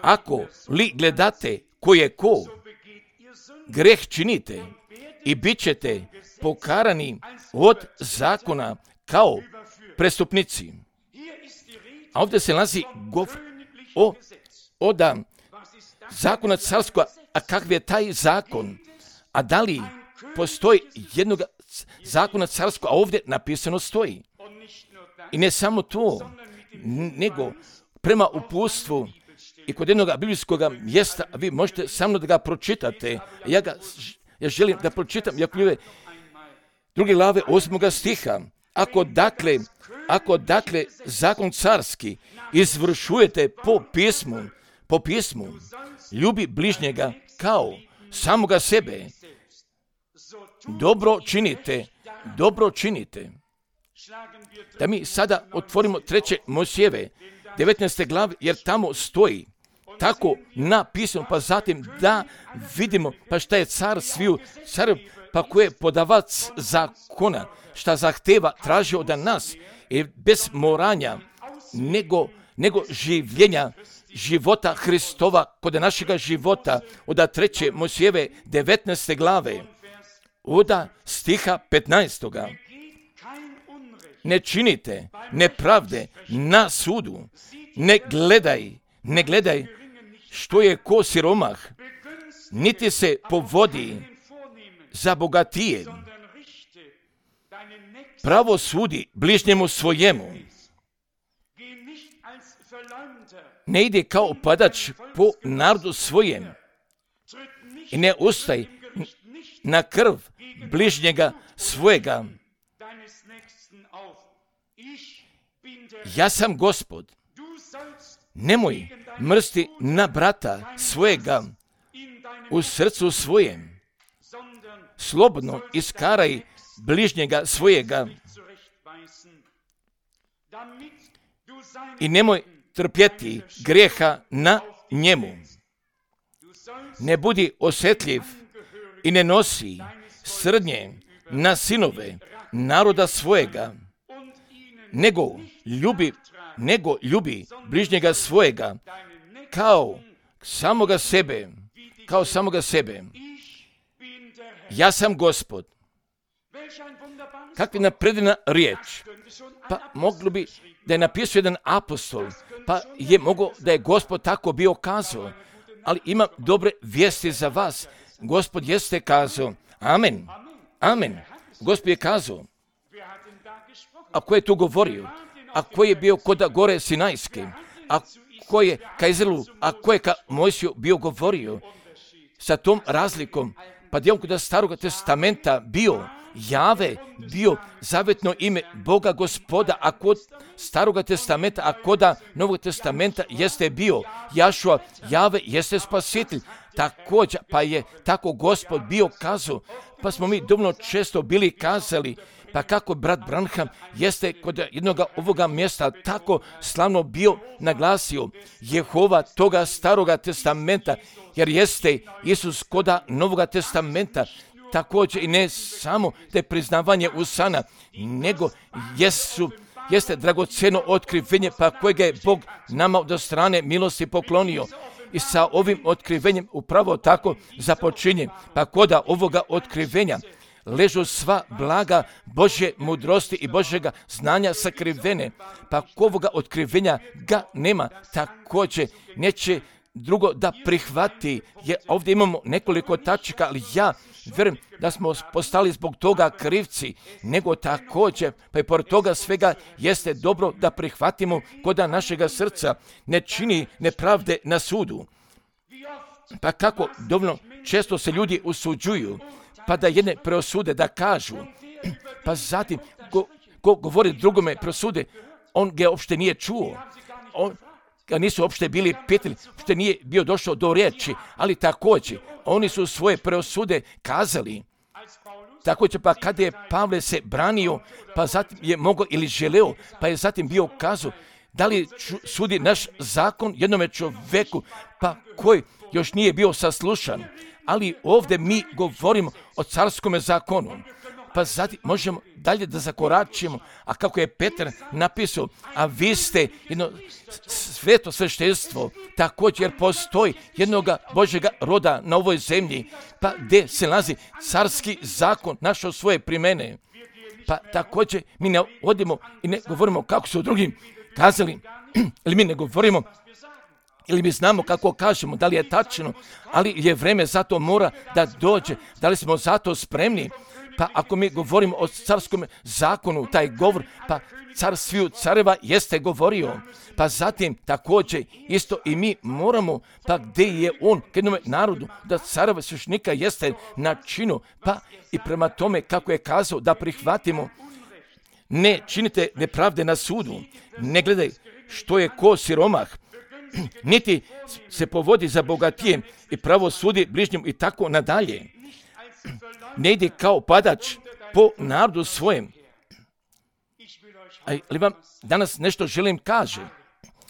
Ako li gledate ko je ko, greh činite i bit ćete pokarani od zakona kao prestupnici. A ovdje se nalazi govor o, o da zakona carskog, a kakav je taj zakon? A da li postoji jednog zakona carskog, a ovdje napisano stoji? I ne samo to, nego prema uputstvu i kod jednog biblijskog mjesta, vi možete sa mnom da ga pročitate. Ja, ga, ja želim da pročitam Jakovljeve druge glave osmoga stiha. Ako dakle, ako dakle zakon carski izvršujete po pismu, po pismu, ljubi bližnjega kao samoga sebe, dobro činite, dobro činite. Da mi sada otvorimo treće Mojsijeve, devetnaeste glave, jer tamo stoji tako napisano, pa zatim da vidimo, pa šta je car sviju, car, pa ko je podavac zakona, šta zahteva, traži od nas, i bez moranja, nego, nego življenja, života Hristova, kod našega života, od treće Mojsijeve, devetnaeste glave, od stiha petnaestoga. Ne činite nepravde na sudu, ne gledaj, ne gledaj što je ko siromah, niti se povodi za bogatije. Pravo sudi bližnjemu svojemu. Ne ide kao padač po narodu svojem i ne ustaj na krv bližnjega svojega. Ja sam Gospod. Nemoj mrsti na brata svojega u srcu svojem. Slobodno iskaraj bližnjega svojega i nemoj trpjeti grijeha na njemu. Ne budi osjetljiv i ne nosi srdnje na sinove naroda svojega, nego ljubi, nego ljubi bližnjega svojega kao samoga sebe, kao samoga sebe. Ja sam Gospod. Kakva napredna riječ. Pa moglo bi da je napisao jedan apostol, pa je mogao da je Gospod tako bio kazao. Ali imam dobre vijesti za vas. Gospod jeste kazao. Amen. Amen. Gospod je kazao. A ko je tu govorio? A ko je bio kod gore Sinajske? A ko je ka Izraelu? A ko je ka Mojsiju bio govorio? Sa tom razlikom, pa dijelom kod Starog testamenta bio Jave, bio zavetno ime Boga Gospoda, a kod Starog testamenta, a kod Novog testamenta jeste bio Jašua, Jave jeste spasitelj. Također, pa je tako Gospod bio kazao, pa smo mi dovoljno često bili kazali, pa kako brat Branham jeste kod jednog ovoga mjesta tako slavno bio naglasio Jehova toga Staroga testamenta, jer jeste Isus koda Novoga testamenta. Također i ne samo te priznavanje usana, nego jesu, jeste dragocjeno otkrivenje, pa kojega je Bog nama od strane milosti poklonio. I sa ovim otkrivenjem upravo tako započinje, pa koda ovoga otkrivenja ležu sva blaga Božje mudrosti i Božjega znanja sakrivene, pa kovoga otkrivenja ga nema, također neće drugo da prihvati. Je, ovdje imamo nekoliko tačaka, ali ja vjerujem da smo postali zbog toga krivci, nego također, pa i pored toga svega jeste dobro da prihvatimo koda našega srca ne čini nepravde na sudu. Pa kako dovoljno često se ljudi usuđuju, pa da jedne preosude, da kažu, pa zatim ko, ko govori drugome preosude, on ga uopšte nije čuo, on ga nisu uopšte bili pitali, uopšte nije bio došao do riječi, ali također oni su svoje preosude kazali. Također pa kada je Pavle se branio, pa zatim je mogao ili želeo, pa je zatim bio kazao, da li sudi naš zakon jednome čovjeku, pa koji još nije bio saslušan, ali ovdje mi govorimo o carskome zakonu. Pa zatim možemo dalje da zakoračimo, a kako je Petar napisao, a vi ste jedno sveto sveštenstvo, također jer postoji jednoga Božjega roda na ovoj zemlji, pa gdje se nalazi carski zakon našao svoje primene. Pa također mi ne odimo i ne govorimo kako su drugim kazali, ili mi ne govorimo, ili mi znamo kako kažemo, da li je tačno, ali je vreme za to mora da dođe, da li smo za to spremni. Pa ako mi govorimo o carskom zakonu, taj govor, pa car sviju careva jeste govorio. Pa zatim također isto i mi moramo, pa gdje je on, k jednome narodu, da careva svešnika jeste na činu, pa i prema tome kako je kazao da prihvatimo, ne činite nepravde na sudu, ne gledaj što je ko siromah, niti se povodi za bogatijem i pravo sudi bližnjem i tako nadalje. Ne ide kao padač po narodu svojem. Ali vam danas nešto želim kaže.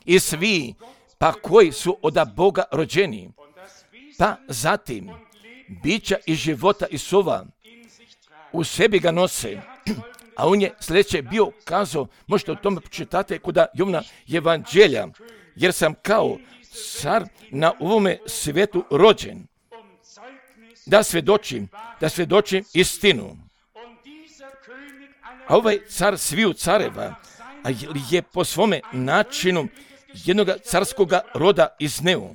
I svi, pa koji su od Boga rođeni, pa zatim bića i života i sova u sebi ga nose. A on je sljedeće bio kazao, možete o tome pročitate kod Jovana Evanđelja, jer sam kao car na ovome svijetu rođen, da svjedočim, da svjedočim istinu. A ovaj car sviju careva, a je po svome načinu jednog carskoga roda izneo.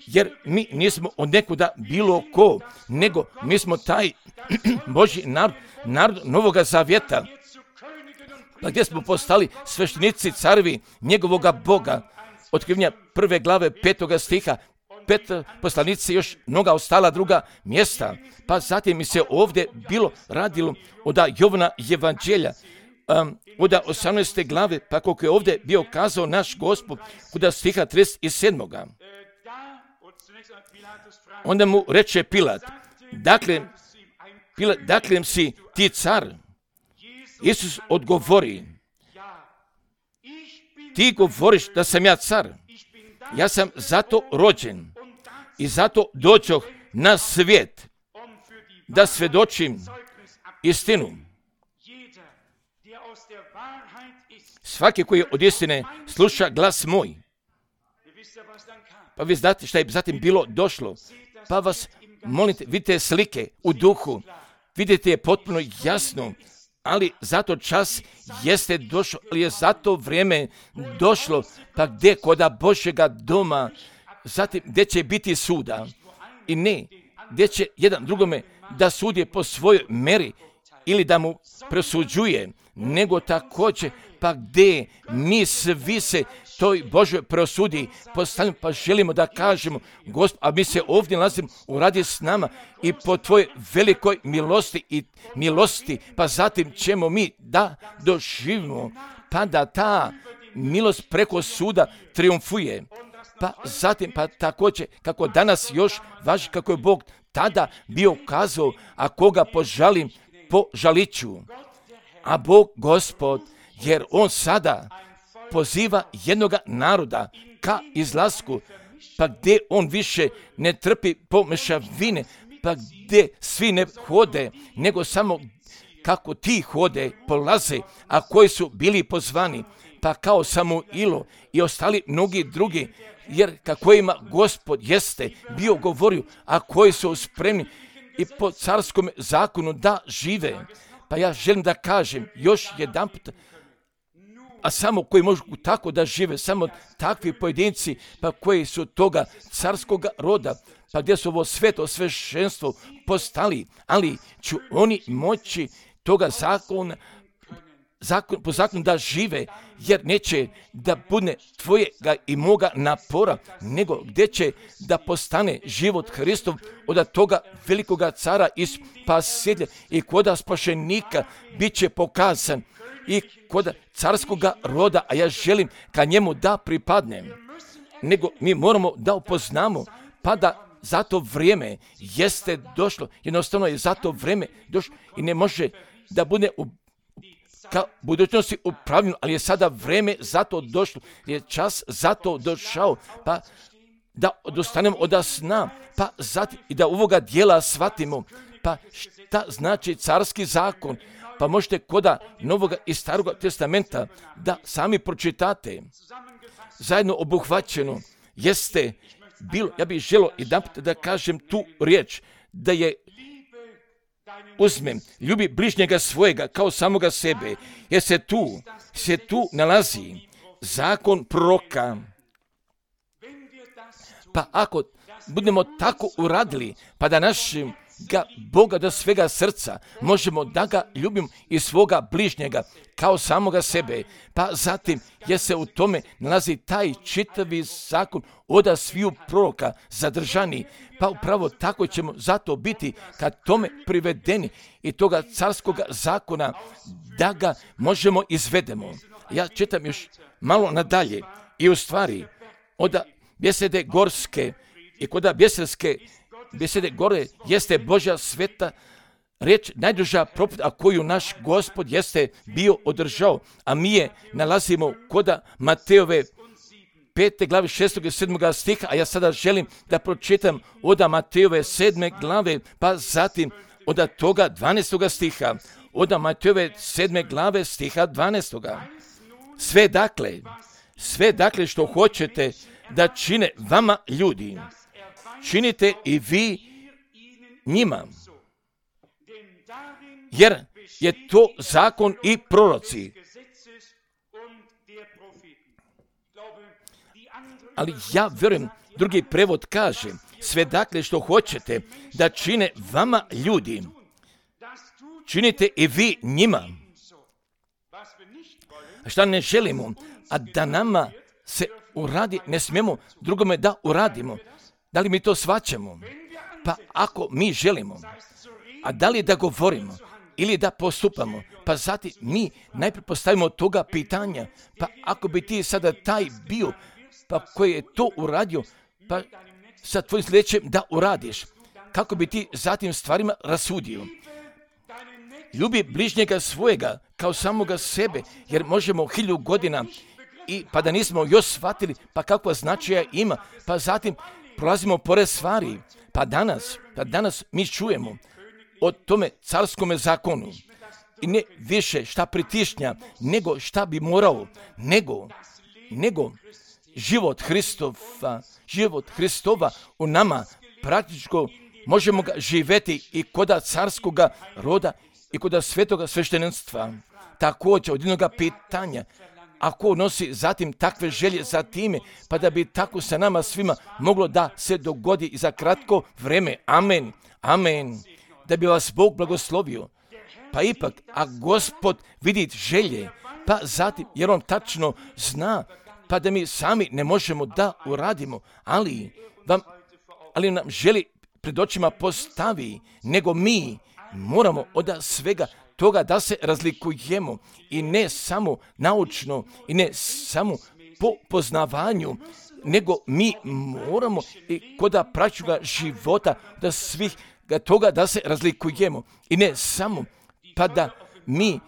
Jer mi nismo od nekuda bilo ko, nego mi smo taj Božji narod, narod Novoga Zavjeta. Pa gdje smo postali sveštenici carevi njegovoga Boga. Otkrivenja prve glave petoga stiha, pet poslanici još mnoga ostala druga mjesta. Pa zatim mi se ovdje bilo radilo od Jovana Evanđelja, um, od osamnaeste glave, pa koliko je ovdje bio kazao naš Gospod, od stiha trideset sedam. Onda mu reče Pilat, dakle, Pilat, dakle si ti car? Isus odgovori, ti govoriš da sam ja car. Ja sam zato rođen i zato dođoh na svijet da svjedočim istinu. Svaki koji od istine sluša glas moj. Pa vi znate šta je zatim bilo došlo. Pa vas molite, vidite slike u duhu, vidite je potpuno jasno, ali zato čas jeste došlo, ali je zato vrijeme došlo, pa gdje koda Božjega doma, zatim gdje će biti suda i ne, gdje će jedan drugome da sudi po svojoj meri ili da mu presuđuje, nego također pa gdje mi svi se toj Božoj prosudi postavljamo, pa želimo da kažemo, Gospod, a mi se ovdje nalazimo, uradi s nama i po tvojoj velikoj milosti i milosti, pa zatim ćemo mi da doživimo, pa da ta milost preko suda triumfuje. Pa zatim, pa također, kako danas još važi, kako je Bog tada bio kazao, a koga požalim, požaliću. A Bog, Gospod, jer on sada poziva jednoga naroda ka izlasku, pa gdje on više ne trpi pomešavine, pa gdje svi ne hode, nego samo kako ti hode, polaze, a koji su bili pozvani, pa kao Samuilo i ostali mnogi drugi, jer kako ima Gospod jeste bio govorio, a koji su spremni i po carskom zakonu da žive. Pa ja želim da kažem još jedan put, a samo koji mogu tako da žive, samo takvi pojedinci, pa koji su toga carskog roda, pa gdje su ovo sveto sveštenstvo postali, ali će oni moći toga zakona, zakon, po zakonu da žive, jer neće da bude tvojega i moga napora, nego gdje će da postane život Hristov od toga velikoga cara i spasitelja i koda spašenika bit će pokazan i kod carskoga roda, a ja želim ka njemu da pripadnem. Nego mi moramo da upoznamo, pa da za to vrijeme jeste došlo, jednostavno je za to vrijeme došlo i ne može da bude u ka budućnosti upravljeno, ali je sada vrijeme za to došlo, je čas za to došao, pa da odustanemo od sna, pa zatim i da ovoga dijela shvatimo, pa šta znači carski zakon, pa možete koda Novoga i Staroga testamenta da sami pročitate. Zajedno obuhvaćeno jeste bilo, ja bih želio i da, da kažem tu riječ, da je uzmem, ljubi bližnjega svojega kao samoga sebe, jer se tu, se tu nalazi zakon proroka. Pa ako budemo tako uradili, pa da našim ga Boga do svega srca možemo da ga ljubimo i svoga bližnjega kao samoga sebe, pa zatim je se u tome nalazi taj čitavi zakon od sviju proroka zadržani, pa upravo tako ćemo zato biti kad tome privedeni i toga carskoga zakona da ga možemo izvedemo. Ja čitam još malo nadalje i u stvari od bjesede gorske i kod bjeselske besede gore jeste Božja sveta riječ, najduža propovijed, a koju naš Gospod jeste bio održao, a mi je nalazimo kod Mateove pete glave šestog i sedmog stiha, a ja sada želim da pročitam od Mateove sedme glave, pa zatim od toga dvanaestog stiha, od Mateove sedme glave stiha dvanaestog. Sve dakle, sve dakle što hoćete da čine vama ljudi, činite i vi njima, jer je to zakon i proroci. Ali ja vjerujem, drugi prevod kaže, sve dakle što hoćete da čine vama ljudi, činite i vi njima. A šta ne želimo, a da nama se uradi, ne smijemo drugome da uradimo. Da li mi to shvaćamo? Pa ako mi želimo, a da li da govorimo ili da postupamo, pa zatim mi najprije postavimo toga pitanja, pa ako bi ti sada taj bio, pa koji je to uradio, pa sa tvojim sljedećem da uradiš, kako bi ti zatim stvarima rasudio. Ljubi bližnjega svojega kao samoga sebe, jer možemo hiljadu godina i pa da nismo još shvatili, pa kakva značaja ima, pa zatim prolazimo pored stvari, pa danas, pa danas mi čujemo o tome carskome zakonu i ne više šta pritišnja, nego šta bi morao, nego, nego život Hristova, život Hristova u nama praktičko možemo ga živjeti i koda carskoga roda i koda svetoga sveštenstva. Također od jednoga pitanja, ako nosi zatim takve želje za time, pa da bi tako sa nama svima moglo da se dogodi i za kratko vreme. Amen, amen. Da bi vas Bog blagoslovio. Pa ipak, a Gospod vidi želje, pa zatim, jer on tačno zna, pa da mi sami ne možemo da uradimo, ali, vam, ali nam želi pred očima postavi, nego mi moramo od svega toga da se razlikujemo i ne samo naučno i ne samo po poznavanju, nego mi moramo i kod praćuga života da svih toga da se razlikujemo i ne samo pa da mi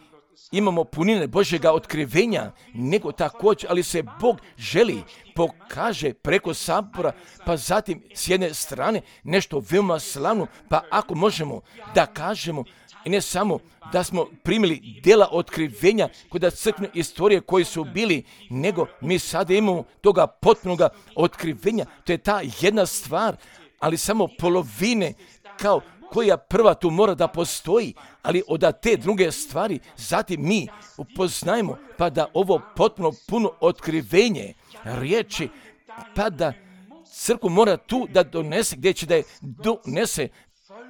imamo punine Božjega otkrivenja, nego također, ali se Bog želi pokaže preko sabora, pa zatim s jedne strane nešto veoma slavno, pa ako možemo da kažemo i ne samo da smo primili djela otkrivenja kod crkvene istorije koji su bili, nego mi sada imamo toga potpunoga otkrivenja. To je ta jedna stvar, ali samo polovine kao koja prva tu mora da postoji, ali od te druge stvari zatim mi upoznajemo, pa da ovo potpuno puno otkrivenje riječi, pa da crkvu mora tu da donese, gdje će da je donese,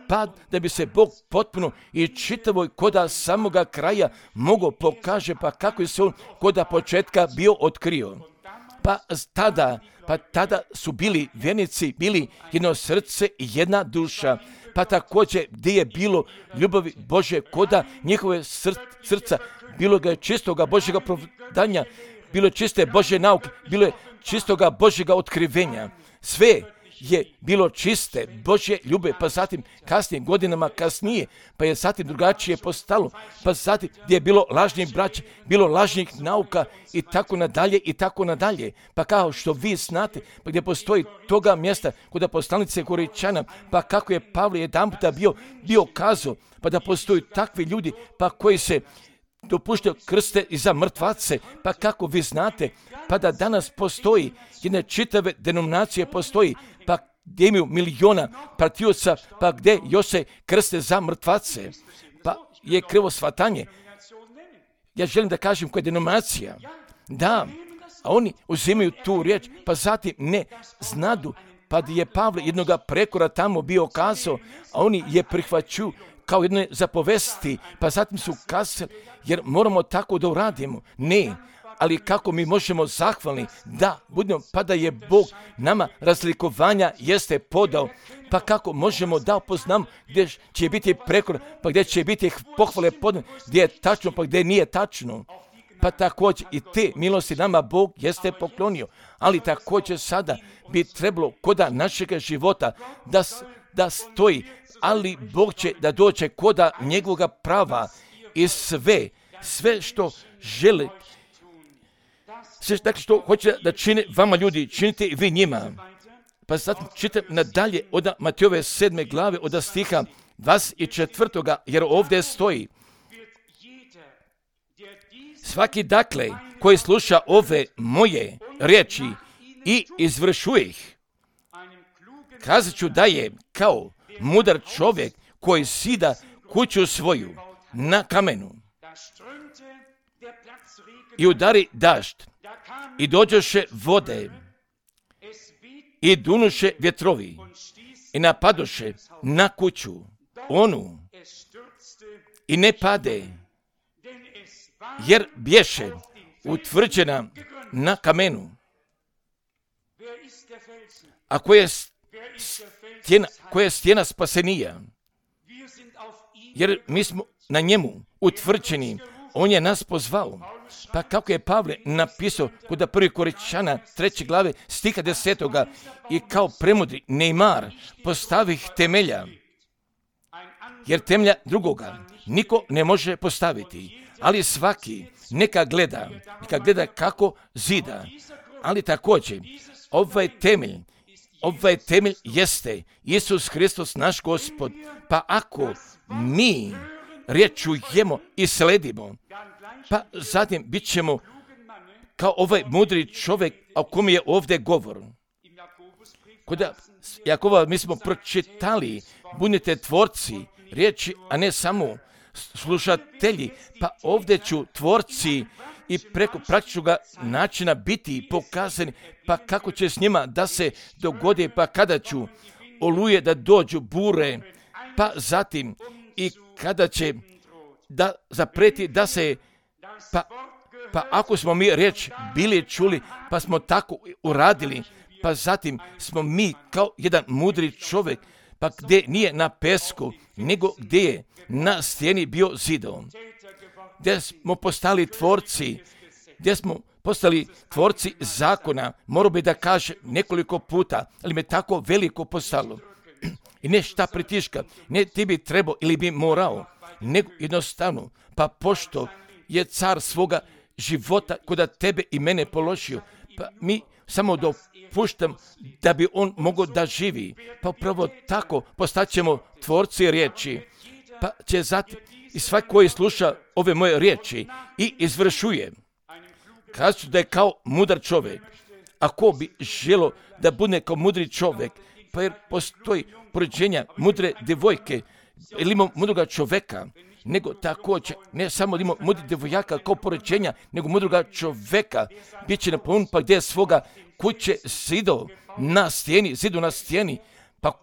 pa da bi se Bog potpuno i čitavoj koda samoga kraja mogo pokaže, pa kako je se on koda početka bio otkrio. Pa tada, pa tada su bili vjernici, bili jedno srce i jedna duša, pa također gdje je bilo ljubavi Bože koda njihove srca, bilo ga je čistoga Božjega providanja, bilo je čiste Božje nauke, bilo je čistoga Božjega otkrivenja. Sve je bilo čiste Božje ljube, pa zatim kasnije, godinama kasnije, pa je zatim drugačije postalo, pa zatim gdje je bilo lažnih braća, bilo lažnih nauka i tako nadalje i tako nadalje. Pa kao što vi znate, pa gdje postoji toga mjesta kod poslanice Koričana, pa kako je Pavle jedan puta bio, bio kazao, pa da postoji takvi ljudi, pa koji se dopuštaju krste i za mrtvace, pa kako vi znate, pa da danas postoji jedne čitave denominacije postoji, pa gdje imaju miliona pratioca, pa gdje još se krste za mrtvace, pa je krivo shvatanje. Ja želim da kažem koja je denominacija. Da, a oni uzimaju tu riječ, pa zatim ne znadu, pa je Pavle jednoga prekora tamo bio kazao, a oni je prihvaću kao jedne zapovesti, pa zatim su kazali, jer moramo tako da uradimo. Ne, ali kako mi možemo zahvalni da budemo, pa da je Bog nama razlikovanja jeste podao, pa kako možemo da upoznamo gdje će biti prekor, pa gdje će biti pohvale podane, gdje je tačno, pa gdje nije tačno. Pa također i te milosti nama Bog jeste poklonio, ali također sada bi trebalo koda našega života da, da stoji, ali Bog će da dođe koda njegovoga prava i sve, sve što žele, sve dakle, što hoće da čine vama ljudi, činite i vi njima. Pa zatim čitam nadalje od Matejove sedme glave od stiha dvadeset četvrtoga jer ovdje stoji: svaki dakle koji sluša ove moje riječi i izvršuje ih, kazat ću da je kao mudar čovjek koji sida kuću svoju na kamenu i udari dažd i dođoše vode i dunuše vjetrovi i napadoše na kuću onu i ne pade, jer bješe utvrđena na kamenu. A koja je stjena, koja je stjena spasenija? Jer mi smo na njemu utvrđeni, on je nas pozvao. Pa kako je Pavle napisao kod prvi Koričana treće glave stiha desetoga i kao premudri Neymar postavih temelja, jer temelja drugoga niko ne može postaviti, ali svaki neka gleda, neka gleda kako zida, ali također ovaj temelj, ovaj temelj jeste Isus Hristos naš Gospod, pa ako mi riječ čujemo i sledimo, pa zatim bit ćemo kao ovaj mudri čovjek o kom je ovdje govor. Kod Jakova mi smo pročitali, budite tvorci riječi, a ne samo slušatelji, pa ovdje ću tvorci i preko praktičnog načina biti pokazani, pa kako će s njima da se dogodi, pa kada ću oluje da dođu bure, pa zatim i kada će da zapreti da se, pa, pa ako smo mi riječ bili čuli, pa smo tako uradili, pa zatim smo mi kao jedan mudri čovjek, pa gdje nije na pesku, nego gdje je na stijeni bio zidom, gdje smo postali tvorci, gdje smo postali tvorci zakona, morao bi da kaže nekoliko puta, ali me tako veliko postalo. I ne šta pritiška, ne ti bi trebao ili bi morao, nego jednostavno, pa pošto je car svoga života kod tebe i mene položio, pa mi samo dopuštam da bi on mogao da živi, pa upravo tako postaćemo tvorci riječi, pa će zatim i svak koji sluša ove moje riječi i izvršuje, kažu da je kao mudar čovjek. Ako bi želo da bude kao mudri čovjek, pa jer postoji porođenja mudre djevojke ili imamo mudroga čoveka, nego također ne samo da imamo mudri djevojaka kao porođenja, nego mudroga čoveka. Biće napunjen pa gdje je svoga kuće zido na stijeni, zidu na stijeni, pa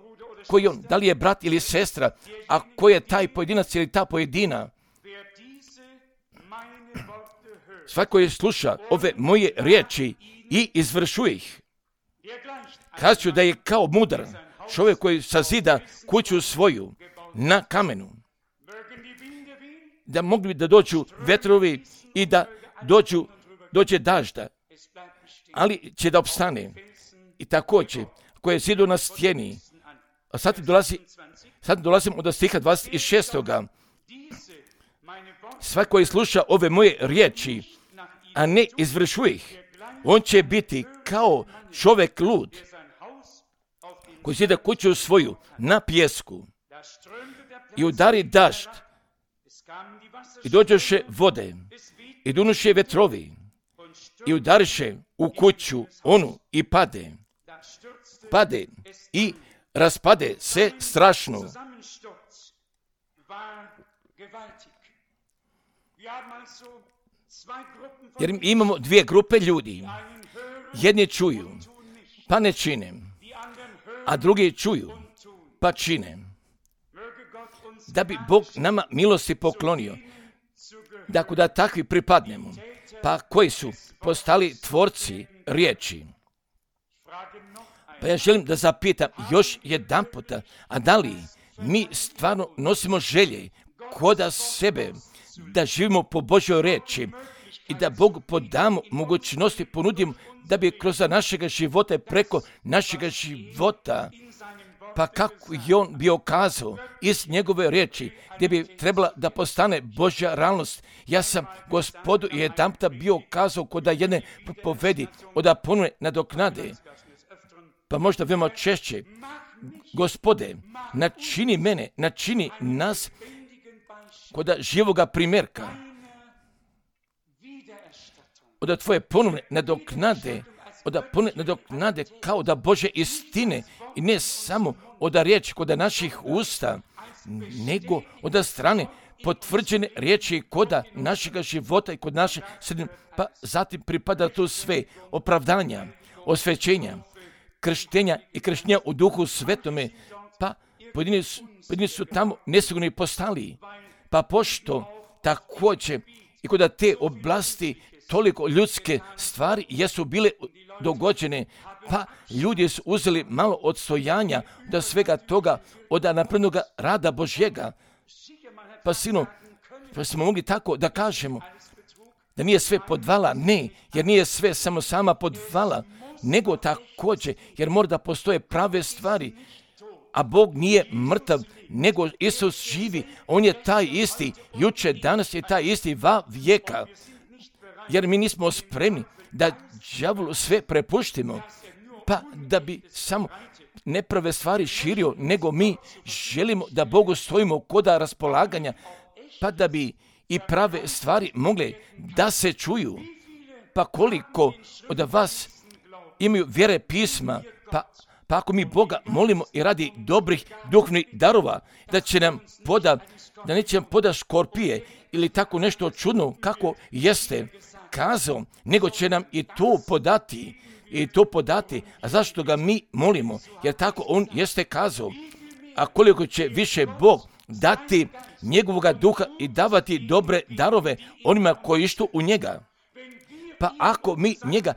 koji on, da li je brat ili sestra, a ko je taj pojedinac ili ta pojedina. Svako je sluša ove moje riječi i izvršuje ih. Kažu da je kao mudar čovjek koji sazida kuću svoju na kamenu. Da mogli da dođu vetrovi i da dođu, dođe dažda, ali će da opstane. I također, koje je zidu na stijeni. A sad dolazi, sad dolazim od stiha dvadeset šestog. Svako koji sluša ove moje riječi, a ne izvršuje ih, on će biti kao čovjek lud, koji zida kuću svoju na pijesku i udari dažd i dođoše vode i dunuše vetrovi i udariše u kuću onu i pade, pade i raspade se strašno. Jer imamo dvije grupe ljudi. Jedni čuju, pa ne čine, a drugi čuju, pa čine. Da bi Bog nama milosti poklonio, da kuda takvi pripadnemo, pa koji su postali tvorci riječi. Pa ja želim da zapitam još jedan puta, a da li mi stvarno nosimo želje koda sebe, da živimo po Božjoj riječi i da Bogu podamo mogućnosti, ponudimo da bi kroz našega života i preko našega života, pa kako je on bio kazao iz njegove riječi, gdje bi trebala da postane Božja realnost. Ja sam Gospodu jedan puta bio kazao koda jedne povedi, oda ponovne nadoknade, pa možda veoma češće, Gospode, načini mene, načini nas koda živoga primjerka, oda tvoje ponovne nadoknade, oda ponovne nadoknade kao da Bože istine i ne samo oda riječi koda naših usta, nego oda strane potvrđene riječi koda našega života i kod naše sredine, pa zatim pripada tu sve opravdanja, osvećenja, krštenja i krštenja u duhu svetome, pa pojedini su, pojedini su tamo nesigurni postali, pa pošto također i kod te oblasti toliko ljudske stvari jesu bile dogođene, pa ljudi su uzeli malo odstojanja da svega toga od naprednoga rada Božjega. Pa sino, pa smo mogli tako da kažemo da nije sve podvala, ne, jer nije sve samo sama podvala, nego također, jer mora da postoje prave stvari, a Bog nije mrtav, nego Isus živi, on je taj isti, juče, danas je taj isti va vijeka, jer mi nismo spremni da đavolu sve prepuštimo, pa da bi samo neprave stvari širio, nego mi želimo da Bogu stojimo koda raspolaganja, pa da bi i prave stvari mogle da se čuju. Pa koliko od vas imaju vjere pisma, pa, pa ako mi Boga molimo i radi dobrih duhovnih darova, da će nam poda, da neće nam poda škorpije ili tako nešto čudno kako jeste kazao, nego će nam i to podati, i to podati. A zašto ga mi molimo? Jer tako on jeste kazao. A koliko će više Bog dati njegovoga duha i davati dobre darove onima koji ištu u njega. Pa ako mi njega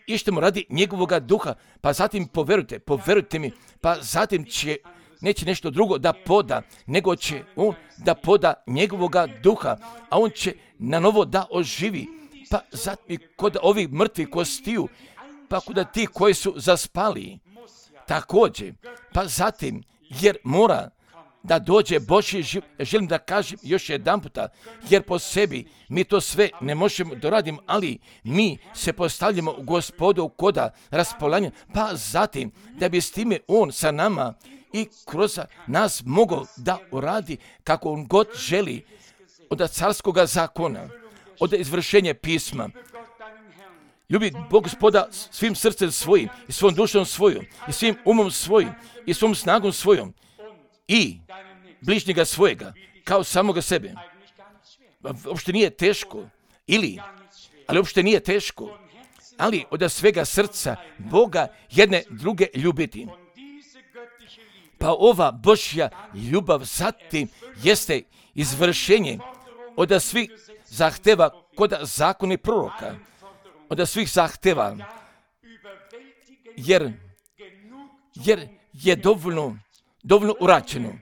ištemo radi njegovoga duha, pa zatim poverujte, poverujte mi, pa zatim će, neće nešto drugo da poda, nego će on da poda njegovoga duha, a on će na novo da oživi. Pa zatim kod ovih mrtvih kostiju, pa kod ti koji su zaspali, također, pa zatim, jer mora da dođe Božji život, želim da kažem još jedan puta, jer po sebi mi to sve ne možemo doraditi, ali mi se postavljamo u Gospodu koda raspolaganja, pa zatim da bi s time on sa nama i kroz nas mogao da uradi kako on god želi od carskoga zakona, od izvršenja pisma. ljubi Bog Gospoda svim srcem svojim i svom dušom svojom i svim umom svojim i svom snagom svojom i bližnjega svojega kao samoga sebe. Uopšte nije teško, ili, ali uopšte nije teško, ali od svega srca Boga jedne druge ljubiti. Pa ova Božja ljubav zatim jeste izvršenje od svih zahteva kod zakona proroka, od svih zahteva, jer, jer je dovoljno, dovoljno uračeno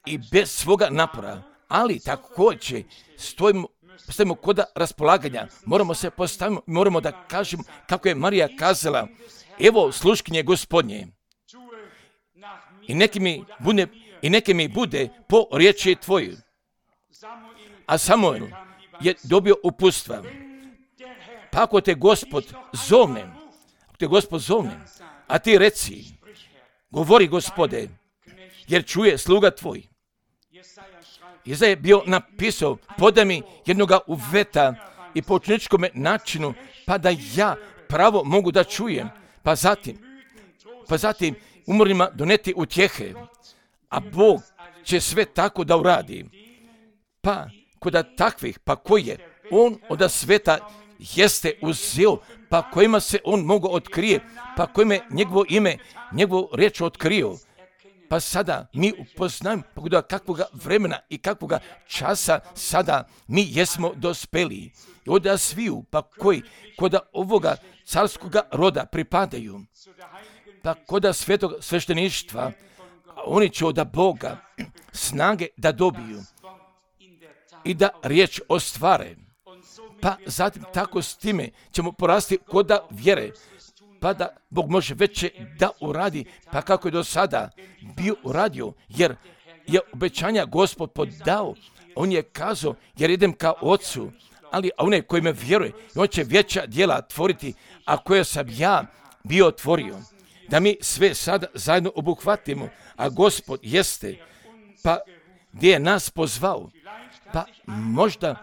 i bez svoga napora, ali također stojimo, stojimo kod raspolaganja, moramo se postaviti, moramo da kažemo kako je Marija kazala, evo sluškinje Gospodnje, i neki mi bude, i neke mi bude po riječi tvojoj. A Samuel je dobio uputstva. Pa ako te Gospod zovne, ako te Gospod zovne, a ti reci, govori Gospode, jer čuje sluga tvoj. Iza je bio napisao, podaj mi jednoga uveta i po učeničkom načinu, pa da ja pravo mogu da čujem, pa zatim, pa zatim umornima doneti utjehe, a Bog će sve tako da uradi. Pa kod takvih, pa koji je on od sveta jeste uzeo, pa kojima se on mogu otkrije, pa kojima je njegovo ime, njegovu riječ otkrio. Pa sada mi upoznajemo pogoda kakvoga vremena i kakvoga časa sada mi jesmo dospeli. I od sviju, pa koji kod ovoga carskoga roda pripadaju, pa kod svetog svešteništva, oni će od Boga snage da dobiju i da riječ ostvare. Pa zatim tako s time ćemo porasti kod vjere, pa da Bog može veće da uradi, pa kako je do sada bio uradio, jer je obećanja Gospod podao. On je kazao, jer idem ka Ocu, ali onaj koji me vjeruje, on će veća djela tvoriti, a koje sam ja bio otvorio. Da mi sve sada zajedno obuhvatimo, a Gospod jeste, pa gdje je nas pozvao, pa možda,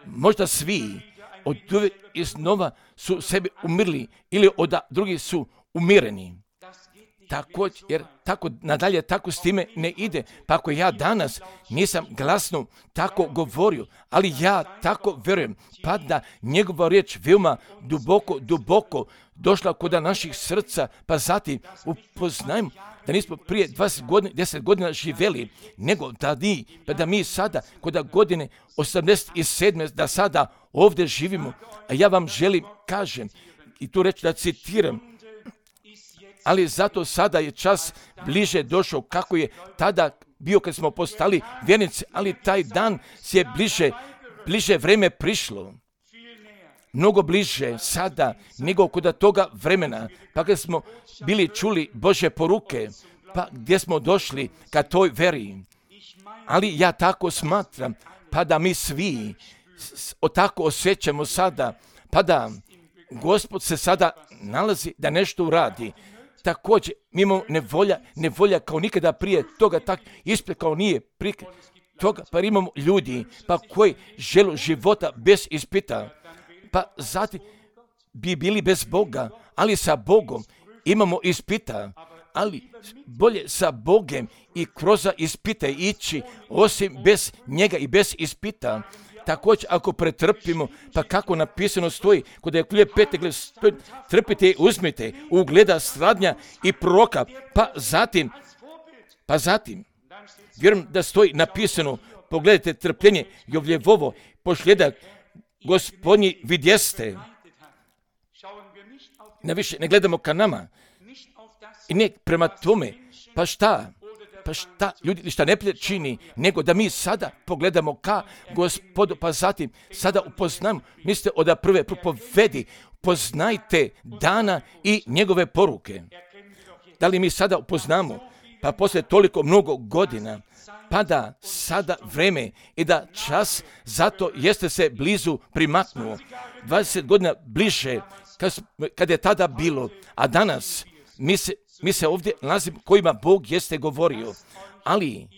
možda svi od uvijek iznova su sebi umirli ili od drugih su umireni. Također, jer tako nadalje tako s time ne ide. Pa ako ja danas nisam glasno tako govorio, ali ja tako vjerujem, pa da njegova riječ veoma duboko, duboko došla kod naših srca, pa zatim upoznajmo da nismo prije dvadeset godina, deset godina živjeli, nego da mi, pa da mi sada kod godine osamdeset sedme da sada ovdje živimo. A ja vam želim, kažem, i tu reći da citiram, ali zato sada je čas bliže došao kako je tada bio kad smo postali vjernici, ali taj dan se je bliže, bliže vreme prišlo. Mnogo bliže sada nego kod toga vremena, pa kad smo bili čuli Božje poruke, pa gdje smo došli ka toj veri. Ali ja tako smatram, pa da mi svi tako osjećamo sada, pa da Gospod se sada nalazi da nešto uradi. Također, mi imamo nevolja, nevolja kao nikada prije toga, tak ispred kao nije prije toga, pa imamo ljudi pa koji žele života bez ispita, pa zatim bi bili bez Boga, ali sa Bogom imamo ispita, ali bolje sa Bogem i kroz ispite ići, osim bez njega i bez ispita. Također, ako pretrpimo, pa kako napisano stoji, kod je klje pete, trpite i uzmite, ugleda stradnja i proroka, pa zatim, pa zatim, vjerujem da stoji napisano, pogledajte trpljenje Jovljevovo, pošljedak Gospodnji vidjeste. Ne više, ne gledamo ka nama. I ne prema tome, pa šta? Pa šta ljudi šta ne čini, nego da mi sada pogledamo ka Gospodu, pa zatim sada upoznamo, mislite od prve propovedi, poznajte dana i njegove poruke. Da li mi sada upoznamo, pa poslije toliko mnogo godina, pa da sada vreme i da čas, zato jeste se blizu primaknuo, dvadeset godina bliže, kad, kad je tada bilo, a danas mi se Mi se ovdje nalazimo kojima Bog jeste govorio, ali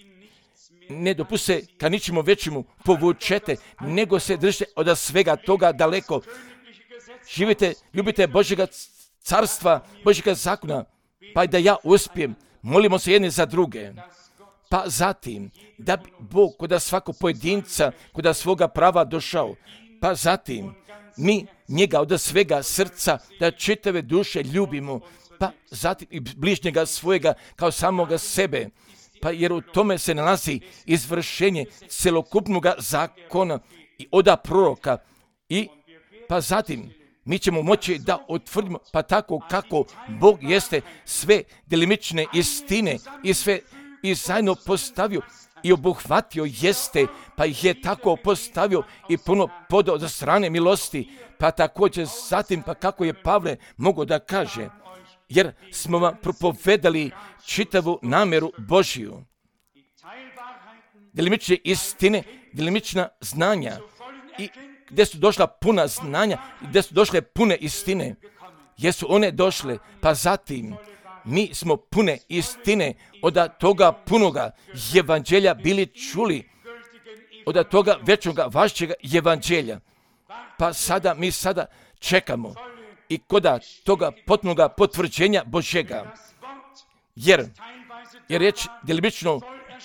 ne dopuste ka ničemu većemu povučete, nego se držite od svega toga daleko. živite, ljubite Božjega carstva, Božjega zakona, pa da ja uspijem, molimo se jedni za druge. Pa zatim, da bi Bog kod svakog pojedinca, kod svoga prava došao, pa zatim, mi njega od svega srca, da čitave duše ljubimo, pa zatim i bližnjega svojega kao samoga sebe, pa jer u tome se nalazi izvršenje celokupnog zakona i oda proroka i pa zatim mi ćemo moći da utvrdimo pa tako kako Bog jeste sve delimične istine i sve i zajedno postavio i obuhvatio jeste, pa ih je tako postavio i puno podao za strane milosti, pa također zatim pa kako je Pavle mogao da kaže, jer smo vam propovedali čitavu namjeru Božiju. Delimične istine, delimična znanja i gdje su došla puna znanja, gdje su došle pune istine, jesu one došle, pa zatim mi smo pune istine od toga punoga evanđelja bili čuli, od toga večnoga vašćega evanđelja. Pa sada mi sada čekamo i kod toga potpunoga potvrđenja Božjega, jer je riječ delimično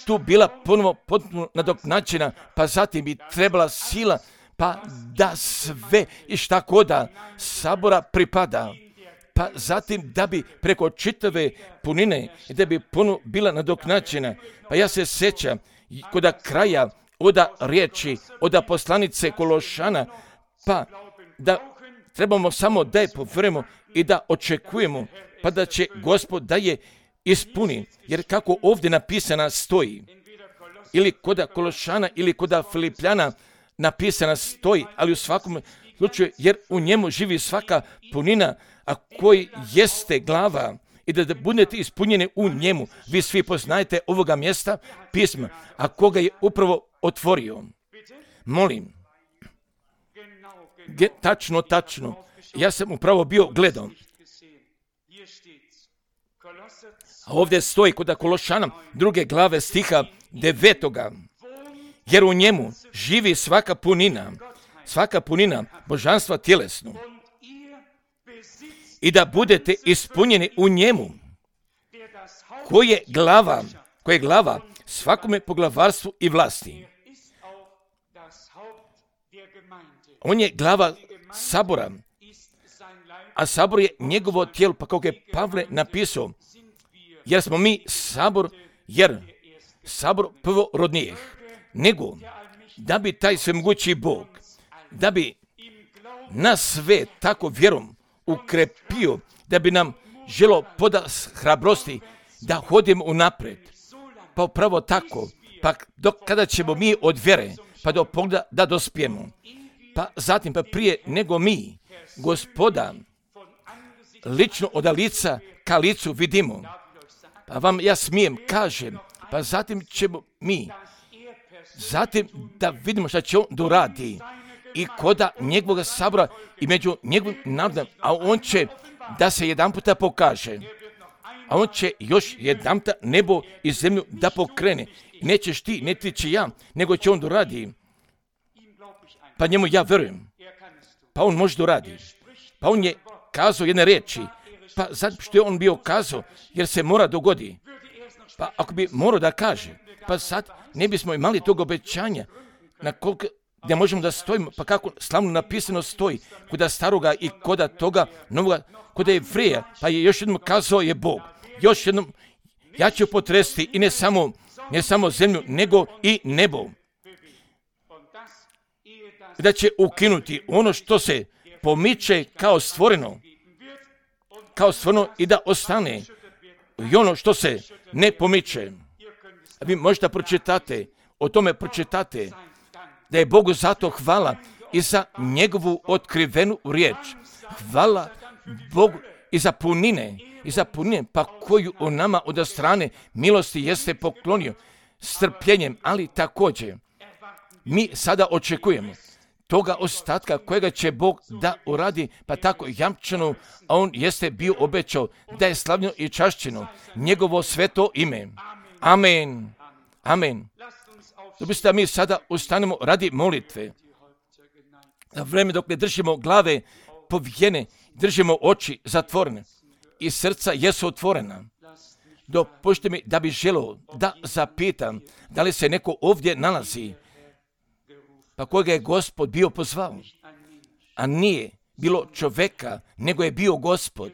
tu bila ponovo potpuno nadoknađena, pa zatim bi trebala sila, pa da sve i šta koda sabora pripada, pa zatim da bi preko čitave punine i da bi puno bila nadoknađena. Pa ja se sjećam kod kraja oda riječi, oda poslanice Kološana, pa da trebamo samo da je povjerujemo i da očekujemo, pa da će Gospod da je ispuni, jer kako ovdje napisana stoji, ili kod Kološana ili kod Filipljana napisana stoji, ali u svakom slučaju, jer u njemu živi svaka punina, a koji jeste glava, i da, da budete ispunjeni u njemu. Vi svi poznajete ovoga mjesta pisma, a koga je upravo otvorio. Molim, Ge, tačno, tačno, ja sam upravo bio gledao. A ovdje stoji kod Kološana druge glave stiha devetoga. Jer u njemu živi svaka punina, svaka punina božanstva tjelesno. I da budete ispunjeni u njemu, koji je glava, koji je glava svakome poglavarstvu i vlasti. On je glava sabora, a sabor je njegovo tijelo, pa kako je Pavle napisao, jer smo mi sabor, jer sabor prvorodnijih, nego da bi taj svemogući Bog, da bi nas sve tako vjerom ukrepio, da bi nam želo poda hrabrosti da hodimo unaprijed. Pa upravo tako, pa dok kada ćemo mi od vjere, pa do pogleda da dospijemo. Pa zatim, pa prije nego mi, Gospoda, lično od lica ka licu vidimo. Pa vam ja smijem, kažem, pa zatim ćemo mi, zatim da vidimo šta će on doradi i koda njegovog sabora i među njegovim narodom, a on će da se jedan puta pokaže, a on će još jedan puta nebo i zemlju da pokrene. Nećeš ti, ne ti će ja, nego će on doradi. Pa njemu ja verujem. Pa on može doradi. Pa on je kazao jedne riječi. Pa zato što je on bio kazao, jer se mora dogodi. Pa ako bi morao da kaže, pa sad ne bismo imali tog obećanja na koliko gdje možemo da stojimo, pa kako slavno napisano stoji, kuda staroga i koda toga novoga, kuda je Jevreja, pa je još jednom kazao je Bog. Još jednom, ja ću potresti i ne samo, ne samo zemlju, nego i nebo. Da će ukinuti ono što se pomiče kao stvoreno, kao stvoreno i da ostane i ono što se ne pomiče. A vi možete pročitate, o tome pročitate, da je Bogu zato hvala i za njegovu otkrivenu riječ. Hvala Bogu i za punine, i za punine, pa koju on nama od strane milosti jeste poklonio strpljenjem, ali također mi sada očekujemo toga ostatka kojega će Bog da uradi, pa tako jamčeno, a on jeste bio obećao da je slavljeno i čašćeno njegovo sveto ime. Amen. Amen. Dopustite da mi sada ustanemo radi molitve. Na vreme dok ne držimo glave povijene, držimo oči zatvorene i srca jesu otvorena. Dopušte mi da bi želio da zapitam da li se neko ovdje nalazi pa kojega je Gospod bio pozvao, a nije bilo čovjeka, nego je bio Gospod,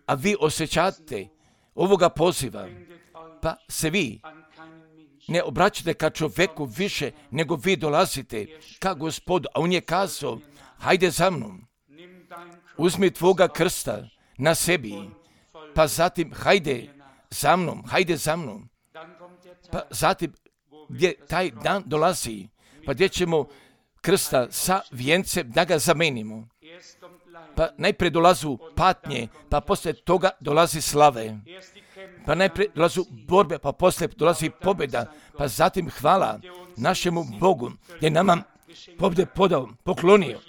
a vi osjećate ovoga poziva, pa se vi ne obraćate ka čovjeku više, nego vi dolazite ka Gospodu, a on je kazao, hajde za mnom, uzmi tvoga krsta na sebi, pa zatim hajde za mnom, hajde za mnom, pa zatim gdje taj dan dolazi, pa gdje ćemo krsta sa vijencem da ga zamenimo. Pa najprije dolazu patnje, pa poslije toga dolazi slave. Pa najprije dolazu borbe, pa poslije dolazi pobjeda, pa zatim hvala našemu Bogu, je nama pobjede podao, poklonio.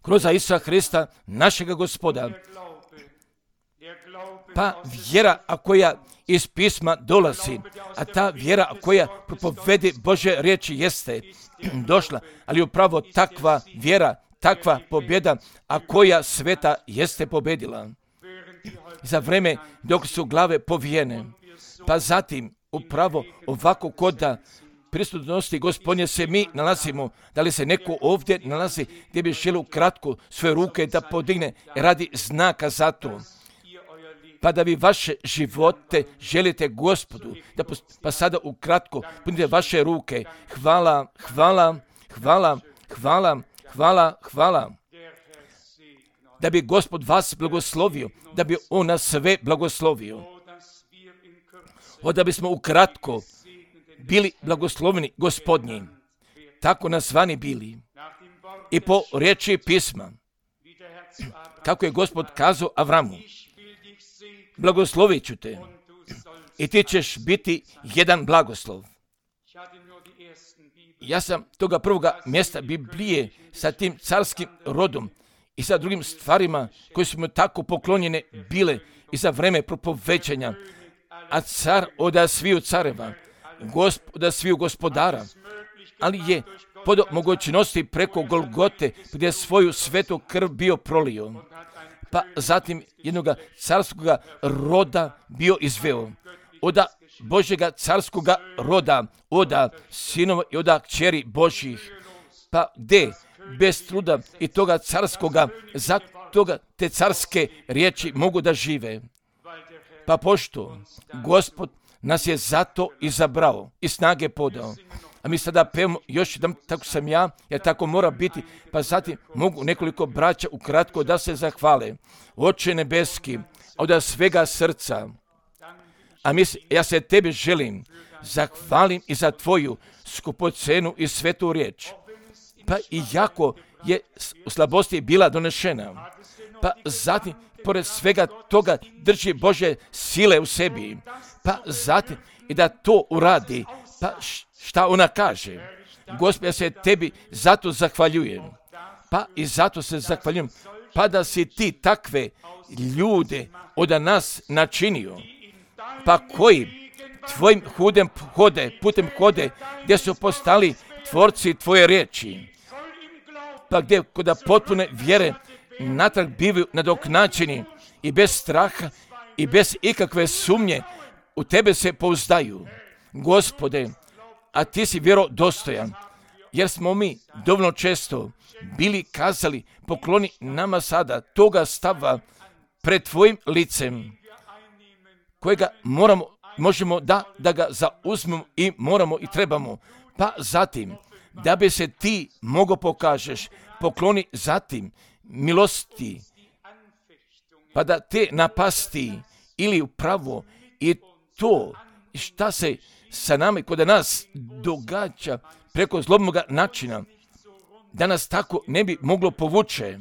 Kroz Isusa Hrista, našega Gospoda. Pa vjera a koja iz pisma dolazi, a ta vjera koja propovedi Božje riječi jeste došla, ali upravo takva vjera, takva pobjeda, a koja sveta jeste pobjedila. Za vreme dok su glave povijene, pa zatim upravo ovako kod da prisutnosti Gospodnje se mi nalazimo, da li se neko ovdje nalazi gdje bi želio kratko svoje ruke da podigne radi znaka za to. Pa da vi vaše živote želite Gospodu, da pa sada ukratko punite vaše ruke. Hvala, hvala, hvala, hvala, hvala, hvala. Da bi Gospod vas blagoslovio, da bi On nas sve blagoslovio. O da bismo ukratko bili blagosloveni Gospodnji, tako nazvani bili. I po riječi pisma, kako je Gospod kazao Avramu, blagoslovit ću te i ti ćeš biti jedan blagoslov. Ja sam toga prvoga mjesta Biblije sa tim carskim rodom i sa drugim stvarima koje su mu tako poklonjene bile i za vreme propovećanja, a car oda sviju careva, gospoda sviju gospodara, ali je pod mogućnosti preko Golgote gdje je svoju svetu krv bio prolio, pa zatim jednoga carskoga roda bio izveo, oda Božjega carskoga roda, oda sinova i oda kćeri Božjih, pa gdje bez truda i toga carskoga, za toga te carske riječi mogu da žive. Pa pošto Gospod nas je zato izabrao i snage podao. A mi sada pevamo još jedan, tako sam ja, jer tako mora biti, pa zatim mogu nekoliko braća ukratko da se zahvale. Oče nebeski, od svega srca, a mi, ja se tebi želim, zahvalim i za tvoju skupocenu i svetu riječ. Pa i jako je u slabosti bila donešena, pa zatim pored svega toga drži Božje sile u sebi, pa zatim i da to uradi, pa šta ona kaže? Gospod, ja se tebi zato zahvaljujem, pa i zato se zahvaljujem, pa da si ti takve ljude od nas načinio, pa koji tvojim hudem hode, putem hode, gdje su postali tvorci tvoje riječi, pa gdje kod potpune vjere natrag bivaju nadoknačeni i bez straha i bez ikakve sumnje u tebe se pouzdaju. Gospode, a ti si vjerodostojan, jer smo mi dovoljno često bili kazali, pokloni nama sada toga stava pred tvojim licem, kojega moramo, možemo da, da ga zauzmemo i moramo i trebamo. Pa zatim, da bi se ti mogo pokažeš, pokloni zatim milosti, pa da te napasti ili upravo i to šta se sa nama i kod nas događa preko zlobnoga načina, da nas tako ne bi moglo povuče,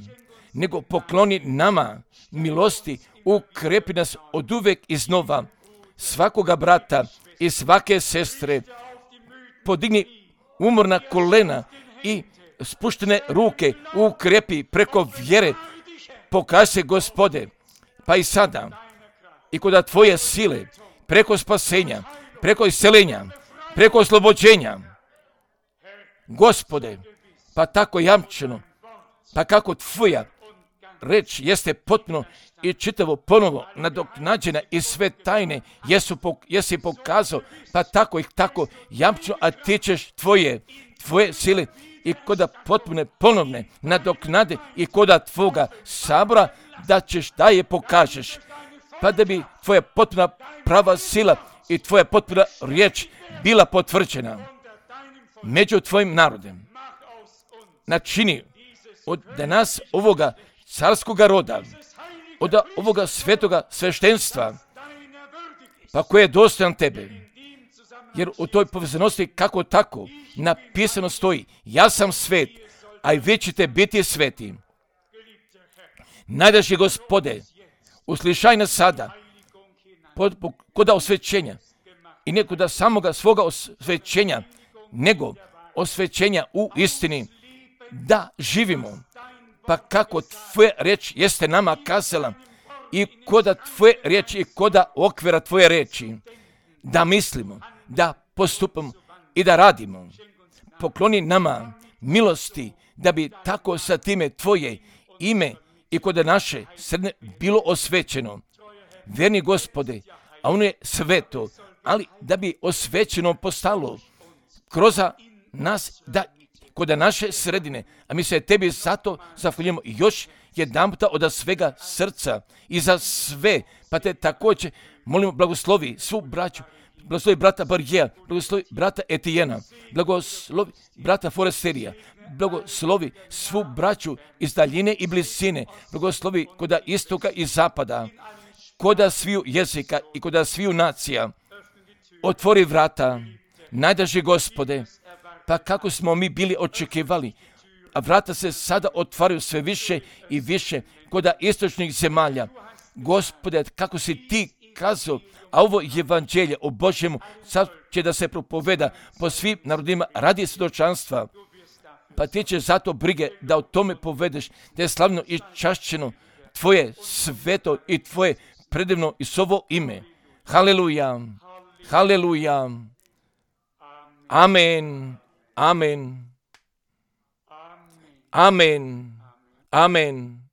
nego pokloni nama milosti, ukrepi nas od uvek iznova, svakoga brata i svake sestre, podigni umorna kolena i spuštene ruke, ukrepi preko vjere, pokaži se Gospode, pa i sada, i kod tvoje sile, preko spasenja, preko iscelenja, preko oslobođenja. Gospode, pa tako jamčeno, pa kako tvoja reč jeste potpuno i čitavo ponovo nadoknađena i sve tajne jesu, jesi pokazao, pa tako ih tako jamčno, a ti ćeš tvoje, tvoje sile i koda potpune ponovne nadoknade i koda tvoga sabora da ćeš da je pokažeš, pa da bi tvoja potpuna prava sila i tvoja potpuna riječ bila potvrđena među tvojim narodem. Načini od danas ovoga carskoga roda, od ovoga svetoga sveštenstva, pa koje je dostojan tebe. Jer u toj povezanosti kako tako napisano stoji, ja sam svet, a i vi ćete biti sveti. Najdraži Gospode, uslišaj nas sada, pod, pod, koda osvećenja, i ne koda samoga svoga osvećenja, nego osvećenja u istini, da živimo, pa kako tvoja reč jeste nama kazala, i koda tvoje reči i koda okvira tvoje reči, da mislimo, da postupamo i da radimo. Pokloni nama milosti, da bi tako sa time tvoje ime i koda naše srne bilo osvećeno. Verni Gospode, a ono je sveto, ali da bi osvećeno postalo kroz nas, da koda naše sredine, a mi se tebi zato zahvaljujemo još jedan puta od svega srca i za sve, pa te također molimo blagoslovi svu braću, blagoslovi brata Barjeja, blagoslovi brata Etijena, blagoslovi brata Foresterija, blagoslovi svu braću iz daljine i blizine, blagoslovi koda istoka i zapada, koda sviju jezika i koda sviju nacija. Otvori vrata, najdraži Gospode, pa kako smo mi bili očekivali, a vrata se sada otvaraju sve više i više koda istočnih zemalja. Gospode, kako si ti kazao, a ovo evanđelje o Božjemu sad će da se propoveda po svim narodima radi svjedočanstva, pa ti će zato brige da o tome povedeš, da je slavno i čašćeno tvoje sveto i tvoje predivno i sovo ime. Haleluja, haleluja, amen, amen, amen, amen.